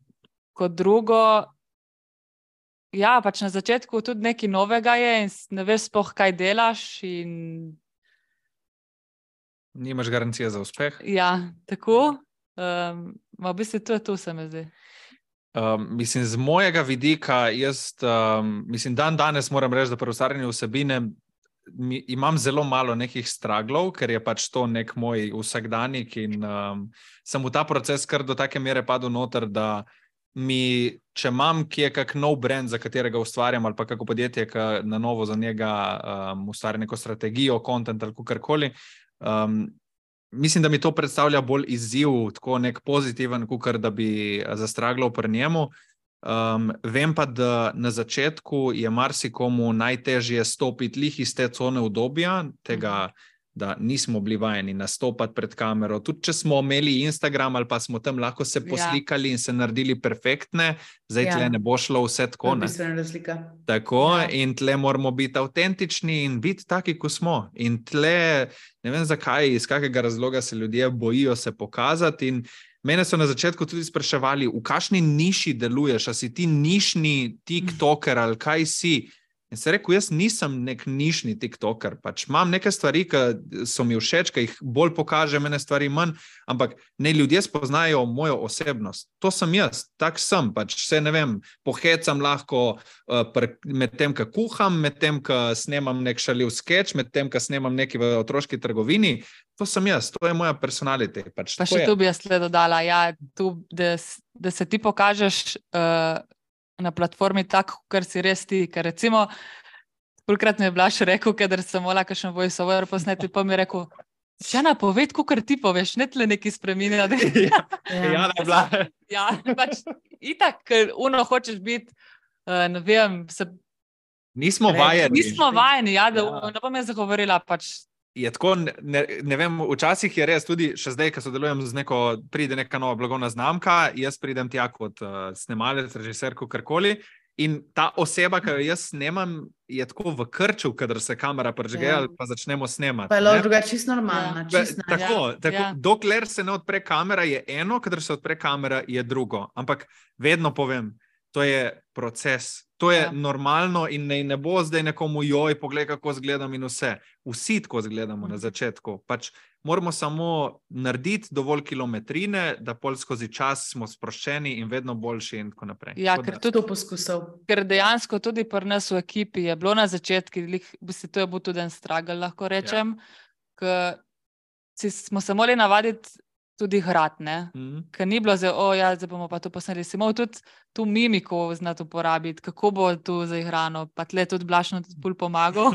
B: kot drugo, ja, pač na začetku tudi nekaj novega je in ne veš sploh, kaj delaš. In
C: Nimaš garancije za uspeh.
B: ja, tako. Um, v bistvu to je to, se mi zdi.
C: Um, mislim, z mojega vidika, jaz um, mislim, dan danes moram reči, da pri ustvarjanju vsebine mi, imam zelo malo nekih straglov, ker je pač to nek moj vsakdanjik in um, sem v ta proces kar do take mere padel noter, da mi, če imam kje kak nov brand, za katerega ustvarjam, ali pa kako podjetje, ki na novo za njega um, ustvarja neko strategijo, content ali kakorkoli, um, mislim, da mi to predstavlja bolj izziv, tako nek pozitiven, kakor da bi zastraglal pri njemu. Um, vem pa, da na začetku je marsikomu najtežje stopiti lih iz te cone udobja, tega, da nismo bili vajeni nastopati pred kamero. Tudi če smo imeli Instagram ali pa smo tam lahko se poslikali in se naredili perfektne, zdaj
A: Ja.
C: tle ne bo šlo vse
A: To
C: tako,
A: je
C: ne.
A: bistvena razlika.
C: Tako,
B: Ja.
C: in tle moramo biti avtentični in biti taki, kot smo. In tle, ne vem zakaj, iz kakega razloga se ljudje bojijo se pokazati. In mene so na začetku tudi spraševali, v kakšni niši deluješ, a si ti nišni tiktoker ali kaj si. In se rekel, jaz nisem nek nišni tiktoker, pač imam neke stvari, ki so mi všeč, ki jih bolj pokaže, mene stvari manj, ampak ne ljudje spoznajo mojo osebnost. To sem jaz, tak sem, pač vse ne vem, pohecam lahko uh, pr, med tem, ko kuham, med tem, ko snemam nek šaljiv skeč, med tem, ko snemam nekaj v otroški trgovini. To sem jaz, to je moja personality. Pač,
B: Pa
C: tako
B: še
C: je.
B: tu bi jaz le dodala, ja, tu, da, s- da se ti pokažeš uh, na platformi tako, kar si res ti, ker recimo kolikrat mi je Blaž rekel, kadar sem mola kakšen voiceover posneti, pa mi je rekel, Jana, poved, kakor ti poveš, ne tle neki spreminja.
C: Ja, Jana je bila.
B: Ja, pač itak, ker uno hočeš biti, uh, ne vem, se...
C: Nismo vajeni.
B: Nismo vajeni, ja, da
C: Ja.
B: ne bom jaz zagovorila, pač...
C: Je tako, ne, ne vem, včasih je res tudi, še zdaj, ko sodelujem z neko, pride neka nova blagovna znamka, jaz pridem tja kot uh, snemalec, režiser, kakorkoli. In ta oseba, ki jo jaz snemam, je tako v krču, kadar se kamera prižge
A: Ja.
C: ali pa začnemo snemati.
A: Pa je
C: ne.
A: lahko drugače čisto normalna.
C: Be-
A: Čisto
C: Tako,
B: Ja,
C: tako
B: ja.
C: dokler se ne odpre kamera, je eno, kadar se odpre kamera, je drugo. Ampak vedno povem, to je proces, to je
B: Ja.
C: normalno in ne, ne bo zdaj nekomu joj, poglej, kako zgledam in vse. Vsi tako zgledamo na
B: Mhm.
C: začetku. Pač moramo samo narediti dovolj kilometrine, da pol skozi čas smo sproščeni in vedno boljši in tako naprej.
B: Ja,
C: Tako
B: ker
C: da-
B: tudi
A: To poskusal.
B: Ker dejansko tudi pri nas v ekipi je bilo na začetku, v bistvu to je bil tudi en struggle, lahko rečem, ker si smo se morali navaditi tudi hrati, ne?
C: Mhm.
B: Ker ni bilo zdaj, o ja, zdaj bomo pa to posneli. Si moral tudi tu mimiko znati uporabiti, kako bo tu zaigrano, pa tle tudi Blaž nam tudi ful pomagal.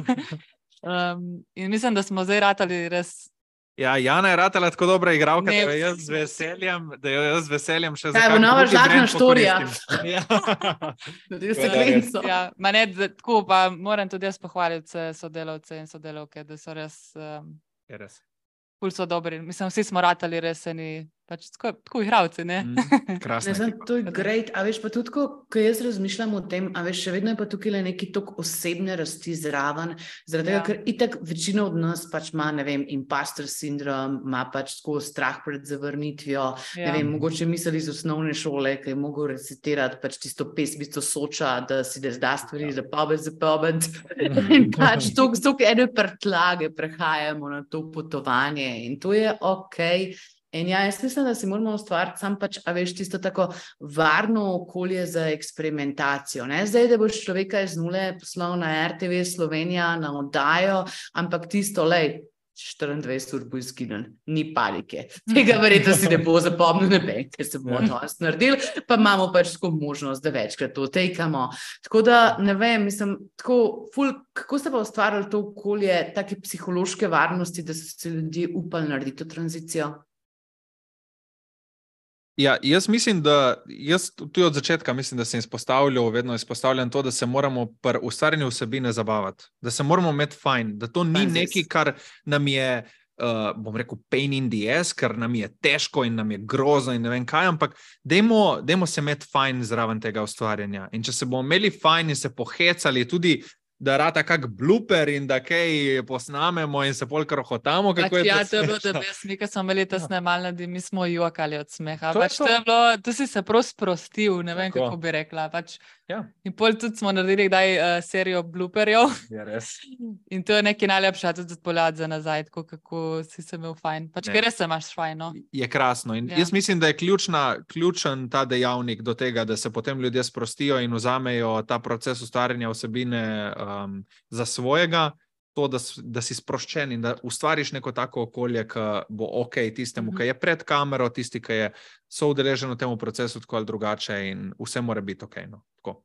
B: um, in mislim, da smo zdaj ratali res...
C: Ja, Jana je ratala tako dobra igralka,
B: Ne.
C: da jo jaz z veseljem, da jo jaz z veseljem še za
A: Kaj bo
C: kak
A: nova
C: drugi
A: žlahtna
C: brand
A: štorija?
C: pokoristim. Ja.
A: Tudi
C: To je
A: sekvenco.
B: Ja, ma ne, da- tako pa moram tudi jaz pohvaliti vse sodelavce in sodelavke, da so res... Um,
C: Je res.
B: ful so dobri. Mislim, vsi smo ratali res eni, pač tako, tako igravci, ne?
C: Mm, krasna
A: Ne, znam,
C: ekipa.
A: to je great, a veš pa tudi, ko, ko jaz razmišljam o tem, a veš, še vedno je pa tukaj le neki tok osebne rasti zraven, zaradi tega,
B: Ja.
A: ker itak večina od nas pač ima, ne vem, imposter sindrom, ima pač tako strah pred zavrnitvijo, ne
B: Ja.
A: vem, mogoče misli iz osnovne šole, ki je mogel recitirati pač tisto pesmico Soča, da si da zda stvari za pobed, za pobed. In pač tok, tok ene prtlage prehajamo na to potovanje in to je okej. In ja, jaz mislim, da si moramo ustvariti sam pač, a veš, tisto tako varno okolje za eksperimentacijo. Ne zdaj, da boš človeka iz nule poslal na R T V Slovenija na oddajo, ampak tisto, lej, štiriindvajset ur bo izginil, ni panike. Tega verjetno si ne bo zapomnil noben, ker se bomo danes naredili, pa imamo pač tako možnost, da večkrat to tekamo. Tako da, ne vem, mislim, tako ful, kako ste pa ustvarjali to okolje, take psihološke varnosti, da so se ljudje upali narediti to tranzicijo?
C: Ja, jaz mislim, da jaz tudi od začetka mislim, da sem izpostavljal, vedno izpostavljam to, da se moramo pri ustvarjanju vsebine zabavati, da se moramo imeti fajn, da to ni
A: Fajn zes.
C: nekaj, kar nam je, uh, bom rekel, pain in the ass, ker nam je težko in nam je grozno in ne vem kaj, ampak dajmo, dajmo se imeti fajn zraven tega ustvarjanja. In če se bomo imeli fajn in se pohecali tudi, da rata kak blooper in da kaj posnamemo in se pol krohotamo, kako
B: Pač,
C: je
B: ja,
C: to
B: to je bilo,
C: smešno.
B: da mi, ko smo imeli ta snemalni, mi smo jokali od smeha.
C: To je
B: Pač,
C: to.
B: to je bilo, tu si se prav sprostil, ne vem,
C: Tako.
B: kako bi rekla. Pač,
C: Ja.
B: In pol tudi smo naredili kdaj uh, serijo blooperjev
C: Je res.
B: in to je nekaj najlepša tudi odpoljati za nazaj, tako kako si se imel fajn. Pač,
C: Ne.
B: ker res se imaš fajn, no.
C: Je krasno. In
B: Ja.
C: jaz mislim, da je ključna, ključen ta dejavnik do tega, da se potem ljudje sprostijo in vzamejo ta proces ustvarjanja vsebine um, za svojega, to, da, s- da si sproščen in da ustvariš neko tako okolje, ki bo ok tistemu,
B: Mhm.
C: ki je pred kamero, tisti, ki je soudeležen v tem procesu tako ali drugače in vse mora biti ok. No. Tako.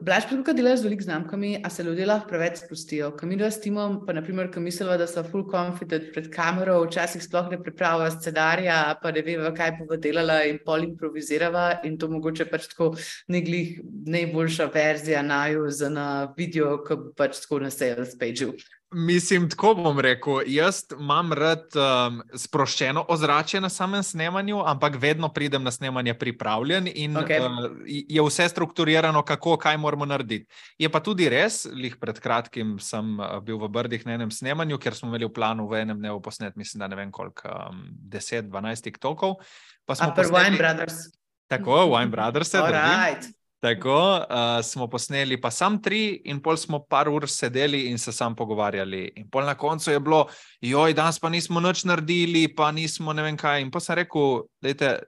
A: Blaž, pa tukaj delaš z veliko znamkami, a se ljudje lahko preveč sprostijo. Ko mi dva s timom, pa naprimer, ko misliva, da so full confident pred kamero, včasih sploh ne pripravlja scenarija, pa ne veva, kaj bova delala in pol improvizirava in to mogoče pač tako neglih najboljša verzija naju za na video, ko bo pač tako na sales pageu.
C: Mislim, tako bom rekel, jaz imam rad um, sproščeno ozračje na samem snemanju, ampak vedno pridem na snemanje pripravljen in
A: Okej.
C: uh, je vse strukturirano, kako, kaj moramo narediti. Je pa tudi res, lih pred kratkim sem uh, bil v Brdih na enem snemanju, ker smo imeli v planu v enem dnevu posnet, mislim, da ne vem koliko, um, deset, dvanajst TikTokov. Pa smo
A: A per
C: posneli-
A: Wine Brothers.
C: Tako, Wine Brothers se drži.
A: Alright.
C: Tako uh, smo posneli pa sam tri in pol smo par ur sedeli in se sam pogovarjali. In pol na koncu je bilo, joj, danes pa nismo nič naredili, pa nismo ne vem kaj. In pa sem rekel, dajte,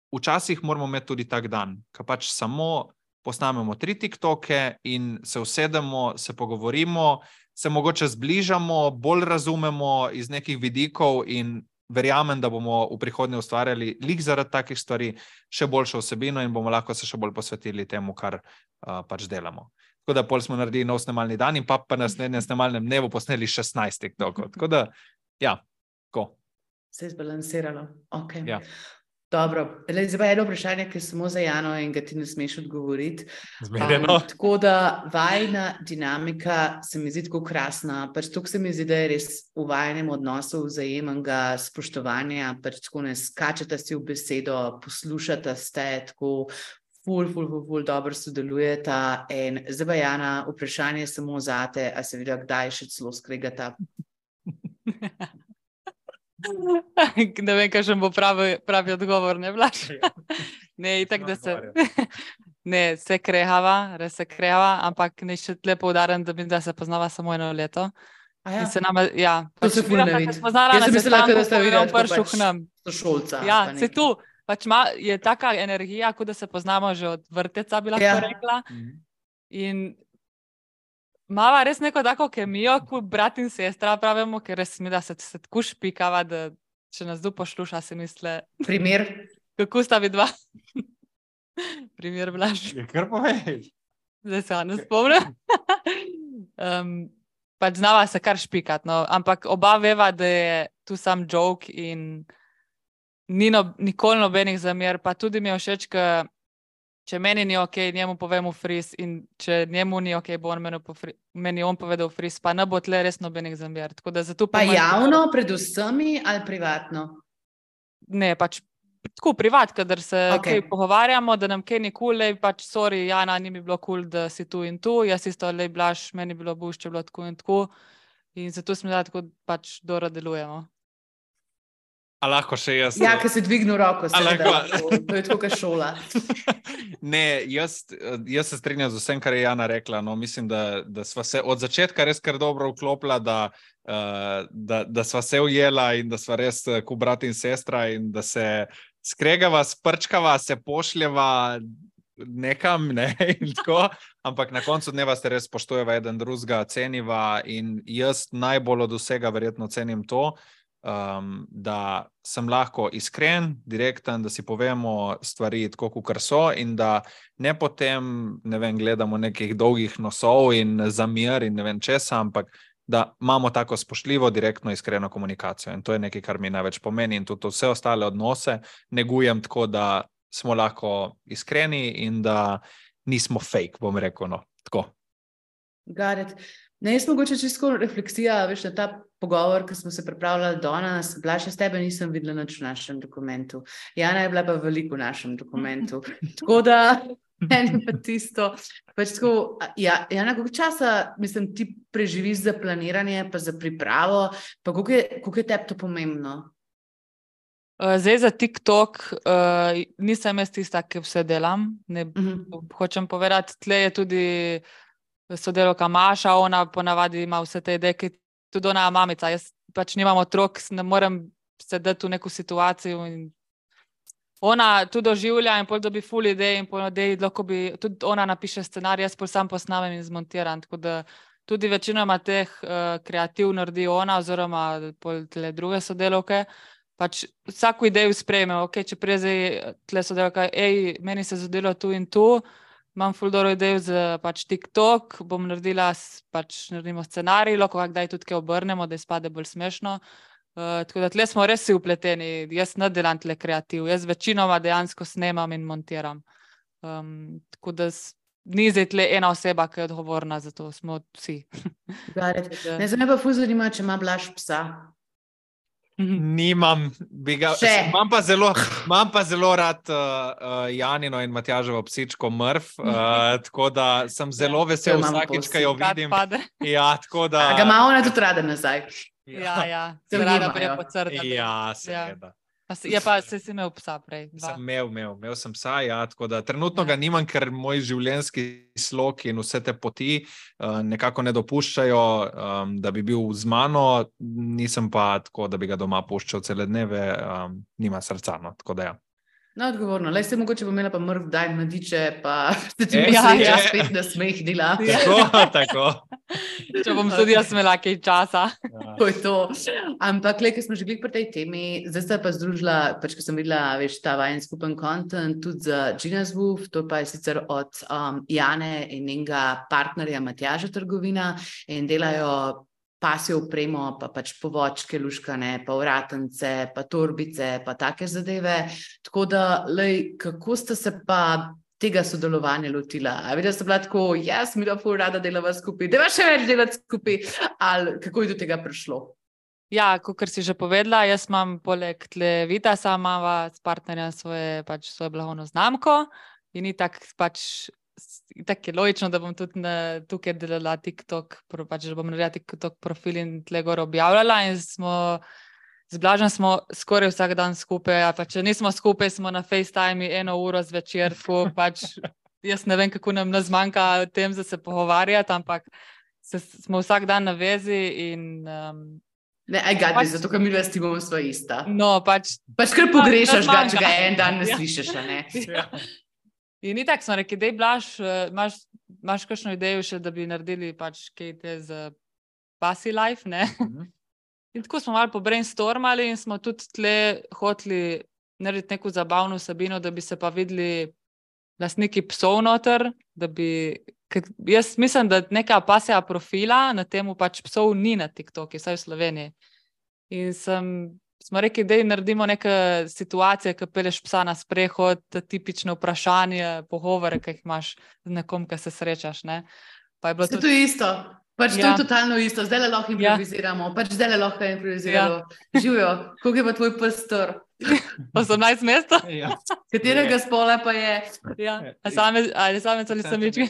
C: včasih moramo imeti tudi tak dan, ko pač samo posnamemo tri TikToke in se usedemo, se pogovorimo, se mogoče zbližamo, bolj razumemo iz nekih vidikov in verjamem, da bomo v prihodnje ustvarjali lik zaradi takih stvari, še boljšo vsebino in bomo lahko se še bolj posvetili temu, kar uh, pač delamo. Tako da pol smo naredili nov snemalni dan in pa pa na naslednjem snemalnem dnevu posneli šestnajst TikTokov. Tako da, ja, tako.
A: Se je zbalansiralo. Okay.
C: Ja.
A: Dobro. Zdaj pa eno vprašanje, ki je samo za Jano in ga ti ne smeš odgovoriti.
C: Zmerjeno.
A: Um, tako da vajna dinamika se mi zdi tako krasna. Pač to, se mi zdi, da je res v vajnem odnosu vzajemnega spoštovanja, pač tako ne skačete si v besedo, poslušate ste tako ful, ful, ful, ful, dobro sodelujeta. In zdaj pa Jana, vprašanje je samo zate, a se vidi, kdaj še celo skregata?
B: Ne vem, kaj še bo pravi, pravi odgovor, ne Blaž? Ne, itak, da se ne, se krehava, res se krehava, ampak ne še tle poudarjam, da bi da se poznava samo eno leto.
A: Ja.
B: In se nama, ja,
A: To
B: pač
A: se ful ne vidi.
B: spoznala
A: Jaz
B: na
A: sem mislila,
B: sestanku,
A: da ste
B: ko je
A: videli
B: on
A: tako
B: prišel
A: pač
B: k nam.
A: sošolca.
B: Ja,
A: pa
B: se
A: nekaj.
B: tu, pač ma, je taka energija, kot da se poznamo že od vrteca, bi lahko
A: Ja.
B: rekla. In mava res neko tako kemijo, kot brat in sestra pravimo, ker res mi, da se, se tako špikava, da če nas tu pošluša, si misle,
A: Primer?
B: kako sta vidva. Primer Blaž.
C: Je kar povej.
B: Zdaj se ne spomnim. um, pač znava se kar špikat, no. Ampak oba veva, da je tu sam joke in ni no, nikoli nobenih zamer, pa tudi mi je všeč, ke če meni ni ok, njemu povem v fris in če njemu ni ok, bo on meni, pofri, meni on povedal v fris, pa ne bo tle res nobenih zamer. Tako da zato
A: Pa
B: po mojem-
A: javno, pred vsemi ali privatno?
B: Ne, pač tako privat, kadar se
A: Okej.
B: kaj pogovarjamo, da nam kaj ni kul, cool, pač sorry, Jana, ni mi bilo kul, cool, da si tu in tu, jaz isto, lej Blaž, meni bilo buš, če bilo tako in tako. In zato smo da tako pač dobro delujemo.
C: A lahko še jaz?
A: Ja, ki si dvignil roko,
C: A
A: seveda.
C: lahko?
A: To je tako, kot šola.
C: Ne, jaz, jaz se strinjam z vsem, kar je Jana rekla. No, mislim, da, da sva se od začetka res kar dobro vklopila, da, uh, da, da sva se ujela in da sva res uh, kot brat in sestra in da se skregava, sprčkava, se pošljeva nekam, ne, in tako. Ampak na koncu dneva se res spoštujeva eden drugega, ceniva in jaz najbolj od vsega verjetno cenim to, Um, da sem lahko iskren, direkten, da si povemo stvari tako, kakor so in da ne potem, ne vem, gledamo nekih dolgih nosov in zamer in ne vem česa, ampak da imamo tako spoštljivo, direktno, iskreno komunikacijo. In to je nekaj, kar mi največ pomeni in tudi vse ostale odnose negujem tako, da smo lahko iskreni in da nismo fake, bom rekel, no, tako.
A: Got it. Ne, jaz mogoče čisto refleksija, veš, na ta pogovor, ki smo se pripravljali danes, Blaž, jaz tebe nisem videla nič v našem dokumentu. Jana je bila pa veliko v našem dokumentu. Tako da, meni pa tisto, pač tako, ja, Jana, koliko časa, mislim, ti preživiš za planiranje, pa za pripravo, pa koliko je, koliko je tebi to pomembno?
B: Uh, zdaj za TikTok uh, nisem jaz tista, ki vse delam. Ne,
A: Mhm.
B: hočem povedati, tle je tudi sodelavka Maša, ona ponavadi ima vse te ideje, ki tudi ona je mamica. Jaz pač nimam otrok, ne morem sedeti v neko situacijo in ona tudi doživlja in pol dobi ful idej in pol idej, lahko bi, tudi ona napiše scenarij, jaz pol sam posnamem in zmontiram, tako da tudi večinoma teh uh, kreativ naredi ona oziroma pol tle druge sodelavke. Pač vsako idejo sprejme, ok, če prije zdaj tle sodelavka, ej, meni se zadelo tu in tu, imam ful dobro idejo za pač TikTok, bom naredila, pač naredimo scenarij, lahko kdaj tudi kaj obrnemo, da izpade bolj smešno. Uh, tako da tle smo res vsi vpleteni, jaz ne delam tle kreativ, jaz večinoma dejansko snemam in montiram. Um, tako da s, ni zdaj tle ena oseba, ki je odgovorna za to, smo vsi.
A: Got it. Ne, zdaj me pa ful zanima, če ima Blaž psa.
C: Nimam, bi ga,
A: Še.
C: imam pa zelo, imam pa zelo rad uh, uh, Janino in Matjaževo psičko Mrf, uh, tako da sem zelo vesel
A: to imamo
C: vsakič,
A: povsod.
C: ko jo
B: Kad
C: vidim.
B: pade.
C: Ja, tako da.
A: A ga ima ona tudi rada nazaj?
B: Ja, ja,
A: Se
B: se rada
A: ugibajo.
B: prej pocrtati.
C: Ja, seveda.
B: A si- Je pa, se si imel psa prej. Dva.
C: Sem imel, imel, imel sem psa, ja, tako da trenutno ga nimam, ker moj življenjski slog in vse te poti uh, nekako ne dopuščajo, um, da bi bil z mano, nisem pa tako, da bi ga doma puščal cele dneve, um, nima srca, no, tako da ja.
A: No, odgovorno. Lej, se mogoče bo imela pa mrv daj mladiče, pa se ti
C: E,
A: bo
B: ja,
A: sreča
B: ja.
A: spet na smeh dela.
C: Tako, tako.
B: Če bom tudi jaz imela kaj časa.
A: To je to. Ampak, le, ker smo že bili pri tej temi, zdaj sta pa združila, pač, ko sem videla, veš, ta vajen skupen content tudi za Gina's Woof, to pa je sicer od um, Jane in njenega partnerja Matjaža Trgovina in delajo pasjo opremo, pa pač povočke luškane, pa vratence, pa torbice, pa take zadeve. Tako da, lej, kako ste se pa tega sodelovanja lotila? A videla ste bila tako, jaz mi da ful rada delava skupaj, deva še več delati skupaj, ali kako je do tega prišlo?
B: Ja, kot si že povedala, jaz imam poleg tle Vitasa, imava s partnerjem svoje, pač svojo blagovno znamko in ni tak pač tako je logično, da bom tudi na, tukaj delala TikTok, pač, da bom naredila TikTok profil in tle gor objavljala in smo z Blažem smo skoraj vsak dan skupaj, a pa če nismo skupaj, smo na FaceTime eno uro zvečer, tako pač jaz ne vem, kako nam ne zmanjka o tem, da se pogovarjati, ampak se, smo vsak dan na vezi in um,
A: Ne, aj gadi,
B: Pač-
A: zato, ker mi s tibom sva ista.
B: no, pač
A: Pač kar pogrešaš ga, če
B: zmanjka.
A: ga en dan ne
B: Ja.
A: slišiš, a ne?
C: Ja.
B: In ni tako, smo rekli, dej Blaž, eh, imaš, imaš kakšno idejo še, da bi naredili pač kaj te z Pasi Life, ne?
C: Mhm.
B: In tako smo malo pobrainstormali in smo tudi tle hoteli narediti neko zabavno vsebino, da bi se pa videli lastniki psov noter, da bi, ker jaz mislim, da neka pasja profila na temu pač psov ni na TikToku, vsaj v Sloveniji. In sem, smo rekli, da naredimo neke situacije, ki peleš psa na sprehod, tipične vprašanje, pogovore, ki jih imaš z nekom, ki se srečaš, ne. Pa je bilo
A: Se to
B: tudi,
A: je isto. Pač to
B: Ja.
A: je totalno isto. Zdaj le lahko improviziramo. Pač zdaj le lahko improviziramo. Živijo. Koliko je pa tvoj pes star?
B: osemnajst mesta.
C: Ja.
A: Katerega spola pa je?
B: Ja, a same, ali samec ali samički.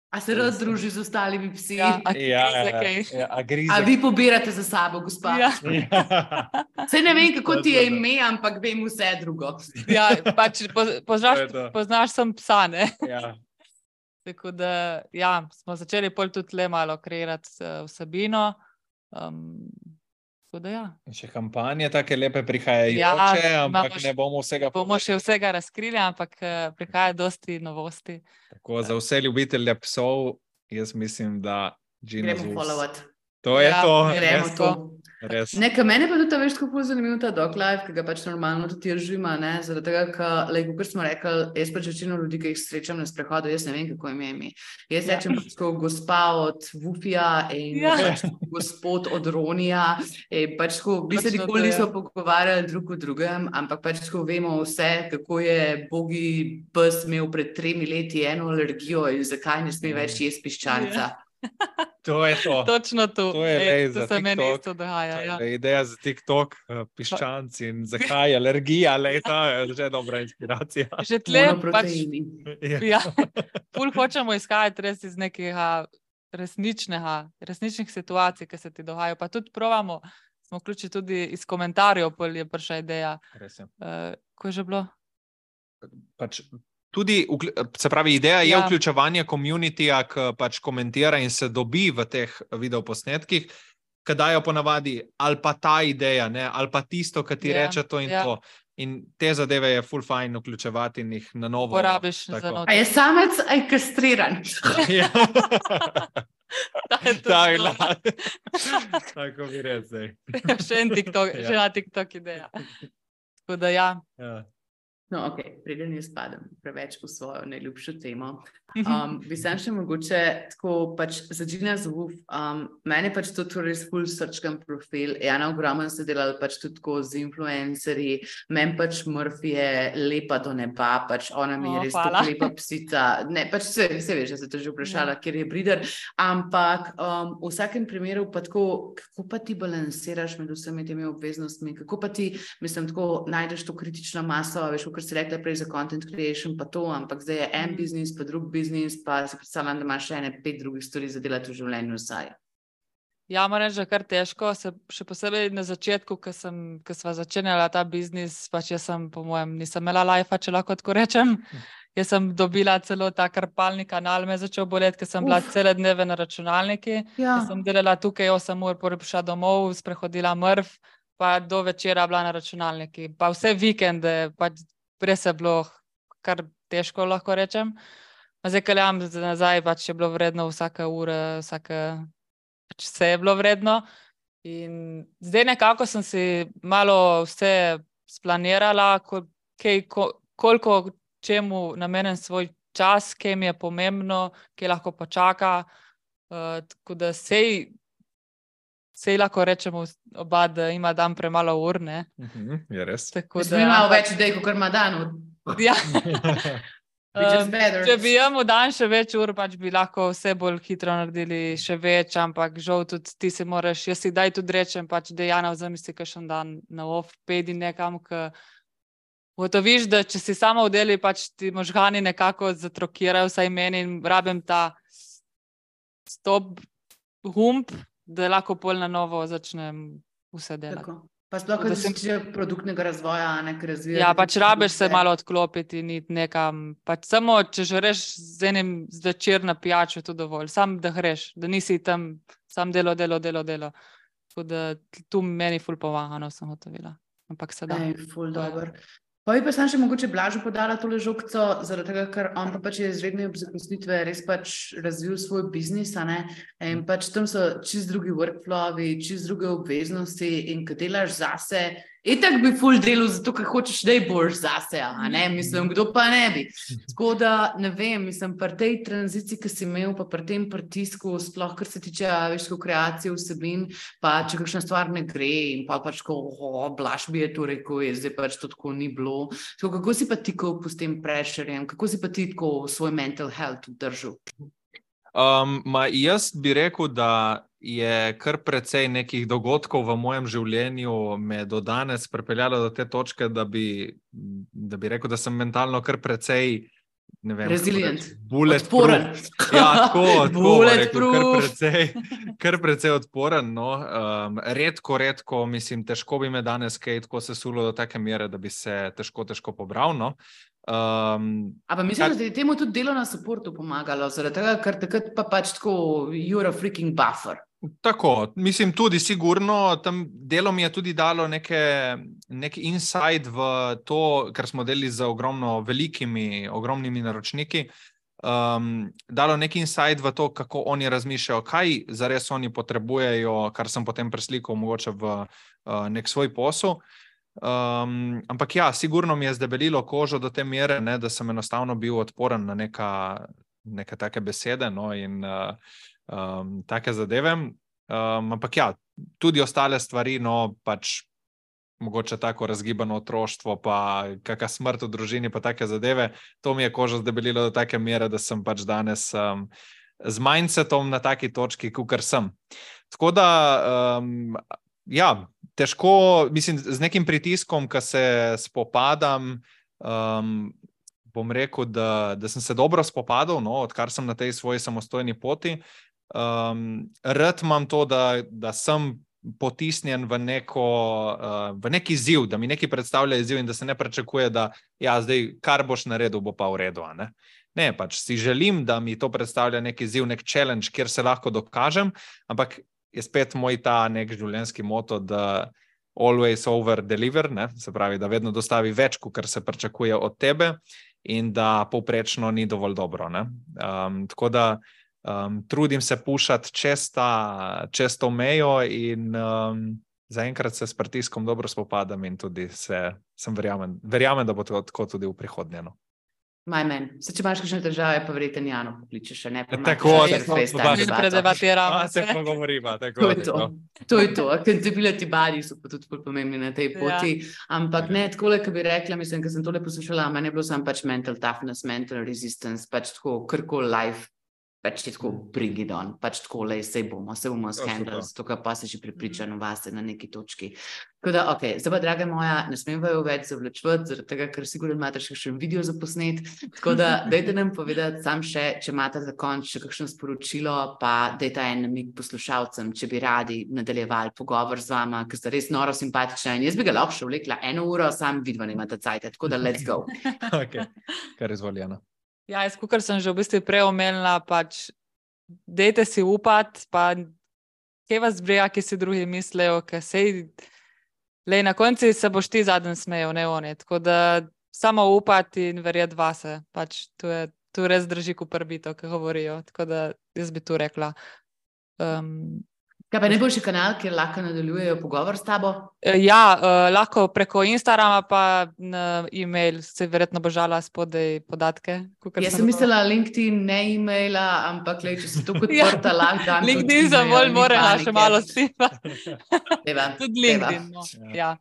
A: A se rad druži z ostalimi psi?
B: Ja, a
C: Ja,
B: grize
C: ja,
B: kaj.
C: ja, a grize.
A: A vi pobirate za sabo, gospa?
B: Ja.
C: Ja.
A: Saj ne vem, kako ti je
C: Točno to.
A: ime, ampak vem vse drugo.
B: Ja, pač po, poznaš,
C: To je to.
B: poznaš sem psa, ne?
C: Ja.
B: Tako da, ja, smo začeli pol tudi le malo kreirati uh, vsebino. Um, tako da, ja.
C: In še kampanje take lepe prihajajoče,
B: Ja,
C: ampak
B: imamo
C: ne
B: še-
C: bomo vsega
B: Bomo še vsega razkrili, ampak uh, prihaja dosti novosti.
C: Tako za vse ljubitelje psov, jaz mislim, da Gina's
A: Gremo
C: Woof.
A: followati.
C: To je
B: Ja,
C: to,
A: Gremo
C: res,
A: to.
C: res.
A: Nekaj mene pa tudi ta veš, kako zanimivo ta dog life, ki ga pač normalno tudi jaz živim, ne, zaradi tega, ker, like, kot smo rekli, jaz pač večino ljudi, ki jih srečam na sprehodu, jaz ne vem, kako jim je ime. Jaz
B: Ja.
A: rečem pač tako gospa od Wufija in
B: Ja.
A: pač gospod od Ronija, in pač tako, v bistvu
B: Točno to,
A: nikoli
B: ja.
A: nismo pogovarjali drug o drugem, ampak pač tako vemo vse, kako je bogi pes imel pred tremi leti eno alergijo in zakaj ne sme več jesti piščanca.
C: To je to.
B: Točno to.
C: To je
B: Ej,
C: lej
B: to
C: za
B: se meni
C: TikTok.
B: isto dogaja. Ja.
C: To je ideja za TikTok, eh, piščanci in zakaj alergija, lej, ta je že dobra inspiracija.
B: Že tle pač,
A: Monoproteini.
C: Ja.
B: ja, ful hočemo izhajati res iz nekega resničnega, resničnih situacij, ki se ti dogajajo. Pa tudi provamo, smo vključili tudi iz komentarjev, pol je prišla ideja.
C: Res je.
B: Uh, ko je že bilo?
C: Pač tudi, vklju- se pravi, ideja je
B: Ja.
C: vključevanje komunitija, ki pač komentira in se dobi v teh videoposnetkih, ki dajo ponavadi ali pa ta ideja, ne, ali pa tisto, ki ti
B: Ja,
C: reče to in
B: ja.
C: to. In te zadeve je full fajn vključevati in jih na novo.
B: Porabiš
C: tako.
B: za
A: A
B: noč.
A: je samec, a je kastriran?
C: Ja.
B: Ta je tudi
C: Tak,
B: to.
C: la- Tako bi rekel zdaj.
B: Še en TikTok,
C: Ja.
B: še ena TikTok ideja. Tako da ja.
C: Ja.
A: No, ok, preden jaz spadam preveč v svojo najljubšo temo. Um, bi sem še mogoče tako pač za Gina's Woof, um, meni pač to res full srčkan profil. Jana ogromno se delala pač tudi tako z influencerji, meni pač Murphy je lepa do neba, pač ona mi je
B: O,
A: res
B: hvala.
A: tako lepa psica. Ne, pač se, se veš, da se te že vprašala,
B: Ja.
A: kjer je brider, ampak um, v vsakem primeru pa tako, kako pa ti balansiraš med vsemi temi obveznostmi, kako pa ti, mislim, tako najdeš to kritično maso, veš, kot si rekla prej za content creation, pa to, ampak zdaj je en
B: Mhm.
A: biznis, pa drug biznis, pa si predstavljam, da imaš še ene pet drugih stvari za delati v življenju vsaj.
B: Ja, moram reči, da je kar težko, se, še posebej na začetku, ko sem, ko sva začenjala ta biznis, pač jaz sem, po mojem, nisem imela lajfa, če lahko tako rečem. Jaz sem dobila celo ta karpalni kanal, me je začel boleti, ker sem bila
A: Uf.
B: cele dneve na računalniki.
A: Ja.
B: Jaz sem delala tukaj osem ur, potem prišla domov, sprehodila mrv, pa do večera bila na računalniki. Pa vse vikende, pač prej se je bilo kar težko, lahko rečem. Zdaj, ko gledam nazaj, pač je bilo vredno vsaka ura, vsaka, pač vse je bilo vredno. In zdaj nekako sem si malo vse splanirala, kol, kaj, ko, koliko čemu namenim svoj čas, kaj mi je pomembno, kaj lahko počaka. Uh, tako da sej, sej lahko rečemo oba, da ima dan premalo ur, ne?
C: Mhm, je res.
B: Tako
A: Mislim, da ima več idej, kot ima dan.
B: Ja.
A: Um,
B: če bi imel dan še več ur, pač bi lahko vse bolj hitro naredili še več, ampak žal tudi ti se moraš, jaz si daj tudi rečem, pač Dejana vzamisli kakšen dan na off, pedi nekam, ki gotoviš, da če si sama v deli, pač ti možgani nekako zatrokirajo, vsaj meni in rabim ta stop hump, da lahko pol na novo začnem vse delati.
A: Tako. Pa sploh, ko se tiče produktnega razvoja, nekaj razvijati.
B: Ja, pač rabiš se malo odklopiti in iti nekam. Pač samo, če žreš z enim zvečer na pijačo, je to dovolj. Sam, da greš, da nisi tam, sam delo, delo, delo, delo. Tako da tu meni ful pomaga, no, sem gotovila. Ampak se da.
A: Ej, ful dober. Pa bi pa sem še mogoče Blažu podala tole žogco, zaradi tega, ker on pa pač je izredne zaposlitve res pač razvil svoj biznis, a ne? In pač tam so čist drugi workflowi, čist druge obveznosti in ko delaš zase, itak bi ful delu zato, ker hočeš, da boš zase, a ne? Mislim, kdo pa ne bi. Tako da, ne vem, mislim, pri tej tranziciji, ki si imel, pa pri tem pritisku, sploh, kar se tiče, veš, kreacije vsebin, pa če kakšna stvar ne gre in pa pač, ko oh, Blaž bi je to rekel, je zdaj pač to tako ni bilo. Tako, kako si pa ti s tem pressurjem, kako si pa ti tako svoj mental health držal?
C: Um, ma jaz bi rekel, da je kar precej nekih dogodkov v mojem življenju me do danes pripeljalo do te točke, da bi, da bi rekel, da sem mentalno kar precej ne vem,
A: resilient,
C: odporen. Ja, tako, tako rekel, kar precej, kar precej odporen. No. Um, redko, redko, mislim, težko bi me danes kaj tako sesulo do take mere, da bi se težko, težko pobral. No. Um,
A: A pa mislim, kar... da je temu tudi delo na supportu pomagalo, zaradi tega, ker takrat pa pač tako you're a freaking buffer.
C: Tako, mislim tudi sigurno, tam delo mi je tudi dalo neke, nek insight v to, kar smo delili z ogromno velikimi, ogromnimi naročniki, um, dalo nek insight v to, kako oni razmišljajo, kaj zares oni potrebujejo, kar sem potem preslikal mogoče v uh, nek svoj posel. Um, ampak ja, sigurno mi je zdebelilo kožo do te mere, ne, da sem enostavno bil odporen na neka, neke take besede, no, in uh, Um, take zadeve, um, ampak ja, tudi ostale stvari, no, pač mogoče tako razgibano otroštvo, pa kakšna smrt v družini, pa take zadeve, to mi je kožo zdebelilo do take mere, da sem pač danes um, z mindsetom na taki točki, kakor sem. Tako da, um, ja, težko, mislim, z nekim pritiskom, ko se spopadam, um, bom rekel, da, da sem se dobro spopadal, no, odkar sem na tej svoji samostojni poti. Um, rad imam to, da, da sem potisnjen v, neko, uh, v neki izziv, da mi nekaj predstavlja izziv in da se ne pričakuje, da ja, zdaj, kar boš naredil, bo pa v redu. Ne? Ne, pač si želim, da mi to predstavlja neki izziv, nek challenge, kjer se lahko dokažem, ampak je spet moj ta nek življenjski moto, da always over deliver, ne? Se pravi, da vedno dostavi več, kar se pričakuje od tebe in da povprečno ni dovolj dobro. Ne? Um, tako da Um, trudim se pušati čez, ta, čez to mejo in um, zaenkrat se s pritiskom dobro spopadam in tudi se, sem verjamem, verjamem, da bo to tako tudi v prihodnje. No.
A: Maj men, se če imaš kakšne težave, pa verjetno Jano pokličeš, še ne?
C: Tako,
A: tako,
B: predebatiramo.
C: Se pogovorimo, tako.
A: To je to, to je to. Accountability bodies so pa tudi pomembni na tej poti, ja. Ampak ne, takole, ko bi rekla, mislim, ko sem tole poslušala, meni je bilo sam pač mental toughness, mental resistance, pač tako, karkoli life, pač ti tako bring it on, pač tako, lej, sej bomo, sej bomo skandal, zato pa si že pripričan vase na neki točki. Tako da, ok, zdaj pa, draga moja, ne smem vaju več zavlačevati, zaradi tega, ker sigurno imate še kakšen video za posnet, tako da dajte nam povedati sam še, če imate za konč še kakšno sporočilo, pa dajte en namig poslušalcem, če bi radi nadaljevali pogovor z vama, ker ste res noro simpatična in jaz bi ga lahko še vlekla eno uro, sam vidva nimate cajte, tako da let's go.
C: Ok, kar izvoljeno.
B: Ja, jaz, kukor sem že v bistvu prej omenila, pač dejte si upati, pa kaj vas brega, ki si drugi mislijo, ker sej, lej, na konci se boš ti zadnji smejal, ne oni. Tako da samo upati in verjeti vase. Pač to je, to res drži kuprbito, ki govorijo. Tako da jaz bi to rekla. Um,
A: Kaj pa najboljši kanal, kjer lahko nadaljujejo pogovor s tabo?
B: Ja, uh, lahko preko Instagrama pa na e-mail, se verjetno bo žala spodaj podatke.
A: Jaz sem mislila LinkedIn, ne e-maila, ampak lej, če si to kot prta, ja, lahko dam.
B: LinkedIn za bolj more še malo stipa.
A: Deva,
B: tudi LinkedIn, no. Ja.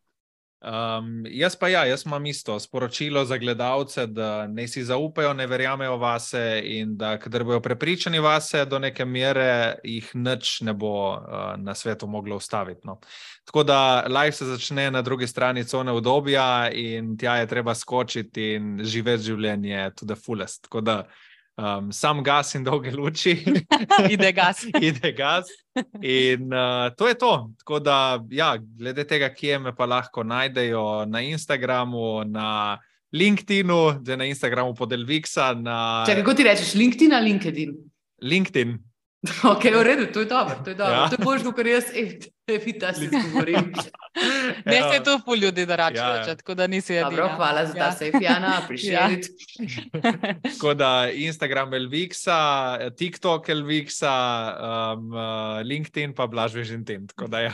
C: Um, jaz pa ja, jaz imam isto sporočilo za gledalce, da ne si zaupajo, ne verjamejo vase in da kadar bojo prepričani vase, do neke mere jih nič ne bo uh, na svetu moglo ustaviti. No. Tako da live se začne na drugi strani cone udobja in tja je treba skočiti in živeti življenje to the fullest. Tako da Um, sam gas in dolge luči.
B: Ide gas.
C: Ide gas. In uh, to je to. Tako da, ja, glede tega, kje me pa lahko najdejo na Instagramu, na LinkedInu, da na Instagramu pod Elvixa. Na...
A: Če, kako ti rečeš, LinkedIn ali LinkedIn?
C: LinkedIn.
A: Ok, v redu, to je dobro, to je dobro.
C: Ja.
A: To je boljš, kar jaz, evita si govorim.
B: Ne se to ful ljudi, da rače
C: Ja, ja.
B: reče, tako da nisi edina.
A: Dobro, hvala za ta
B: Ja.
A: sejf, Jana, appreciate it.
C: Tako da Instagram Elvixa, TikTok Elvixa, um, uh, LinkedIn pa Blaž Vežintin. Tako da ja,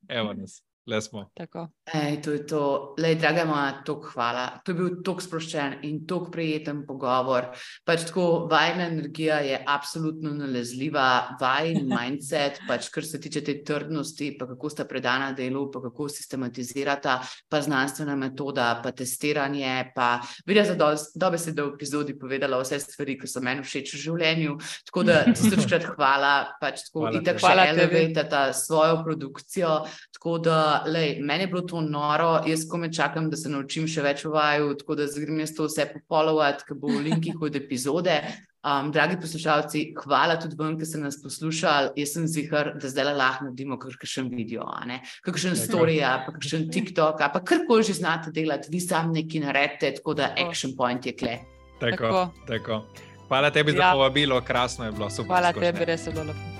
C: evo nas, le smo.
B: Tako.
A: Ej, to je to. Lej, draga moja, toliko hvala. To je bil toliko sproščen in toliko prijeten pogovor. Pač tako, vajna energija je absolutno nalezljiva, vajn mindset, pač kar se tiče te trdnosti, pa kako sta predana delu, pa kako sistematizirata, pa znanstvena metoda, pa testiranje, pa videla za dobesedno v epizodi povedala vse stvari, ki so meni všeč v življenju. Tako da tisočkrat hvala, pač tako
C: Hvala
A: itak
C: tebi.
A: še
B: Hvala tebi.
A: elevatata svojo produkcijo. Tako da, lej, meni je bilo to noro, jaz kome čakam, da se naučim še več o vaju, tako da zgrim jaz to vse pofollowati, ki bo v linkih od epizode. Um, dragi poslušalci, hvala tudi vam, ki ste nas poslušali. Jaz sem zihar, da zdaj lahko naredimo kakšen video, a ne? Kakšen
C: Tako.
A: story, a pa kakšen TikTok, a pa karkoli že znate delati, vi sam nekaj naredite, tako da
B: Tako.
A: action point je kle.
C: Tako,
B: Tako.
C: tako. Hvala tebi za
B: Ja.
C: povabilo, krasno je bilo, super.
B: Hvala
C: skočne.
B: tebi, res je bilo lepo.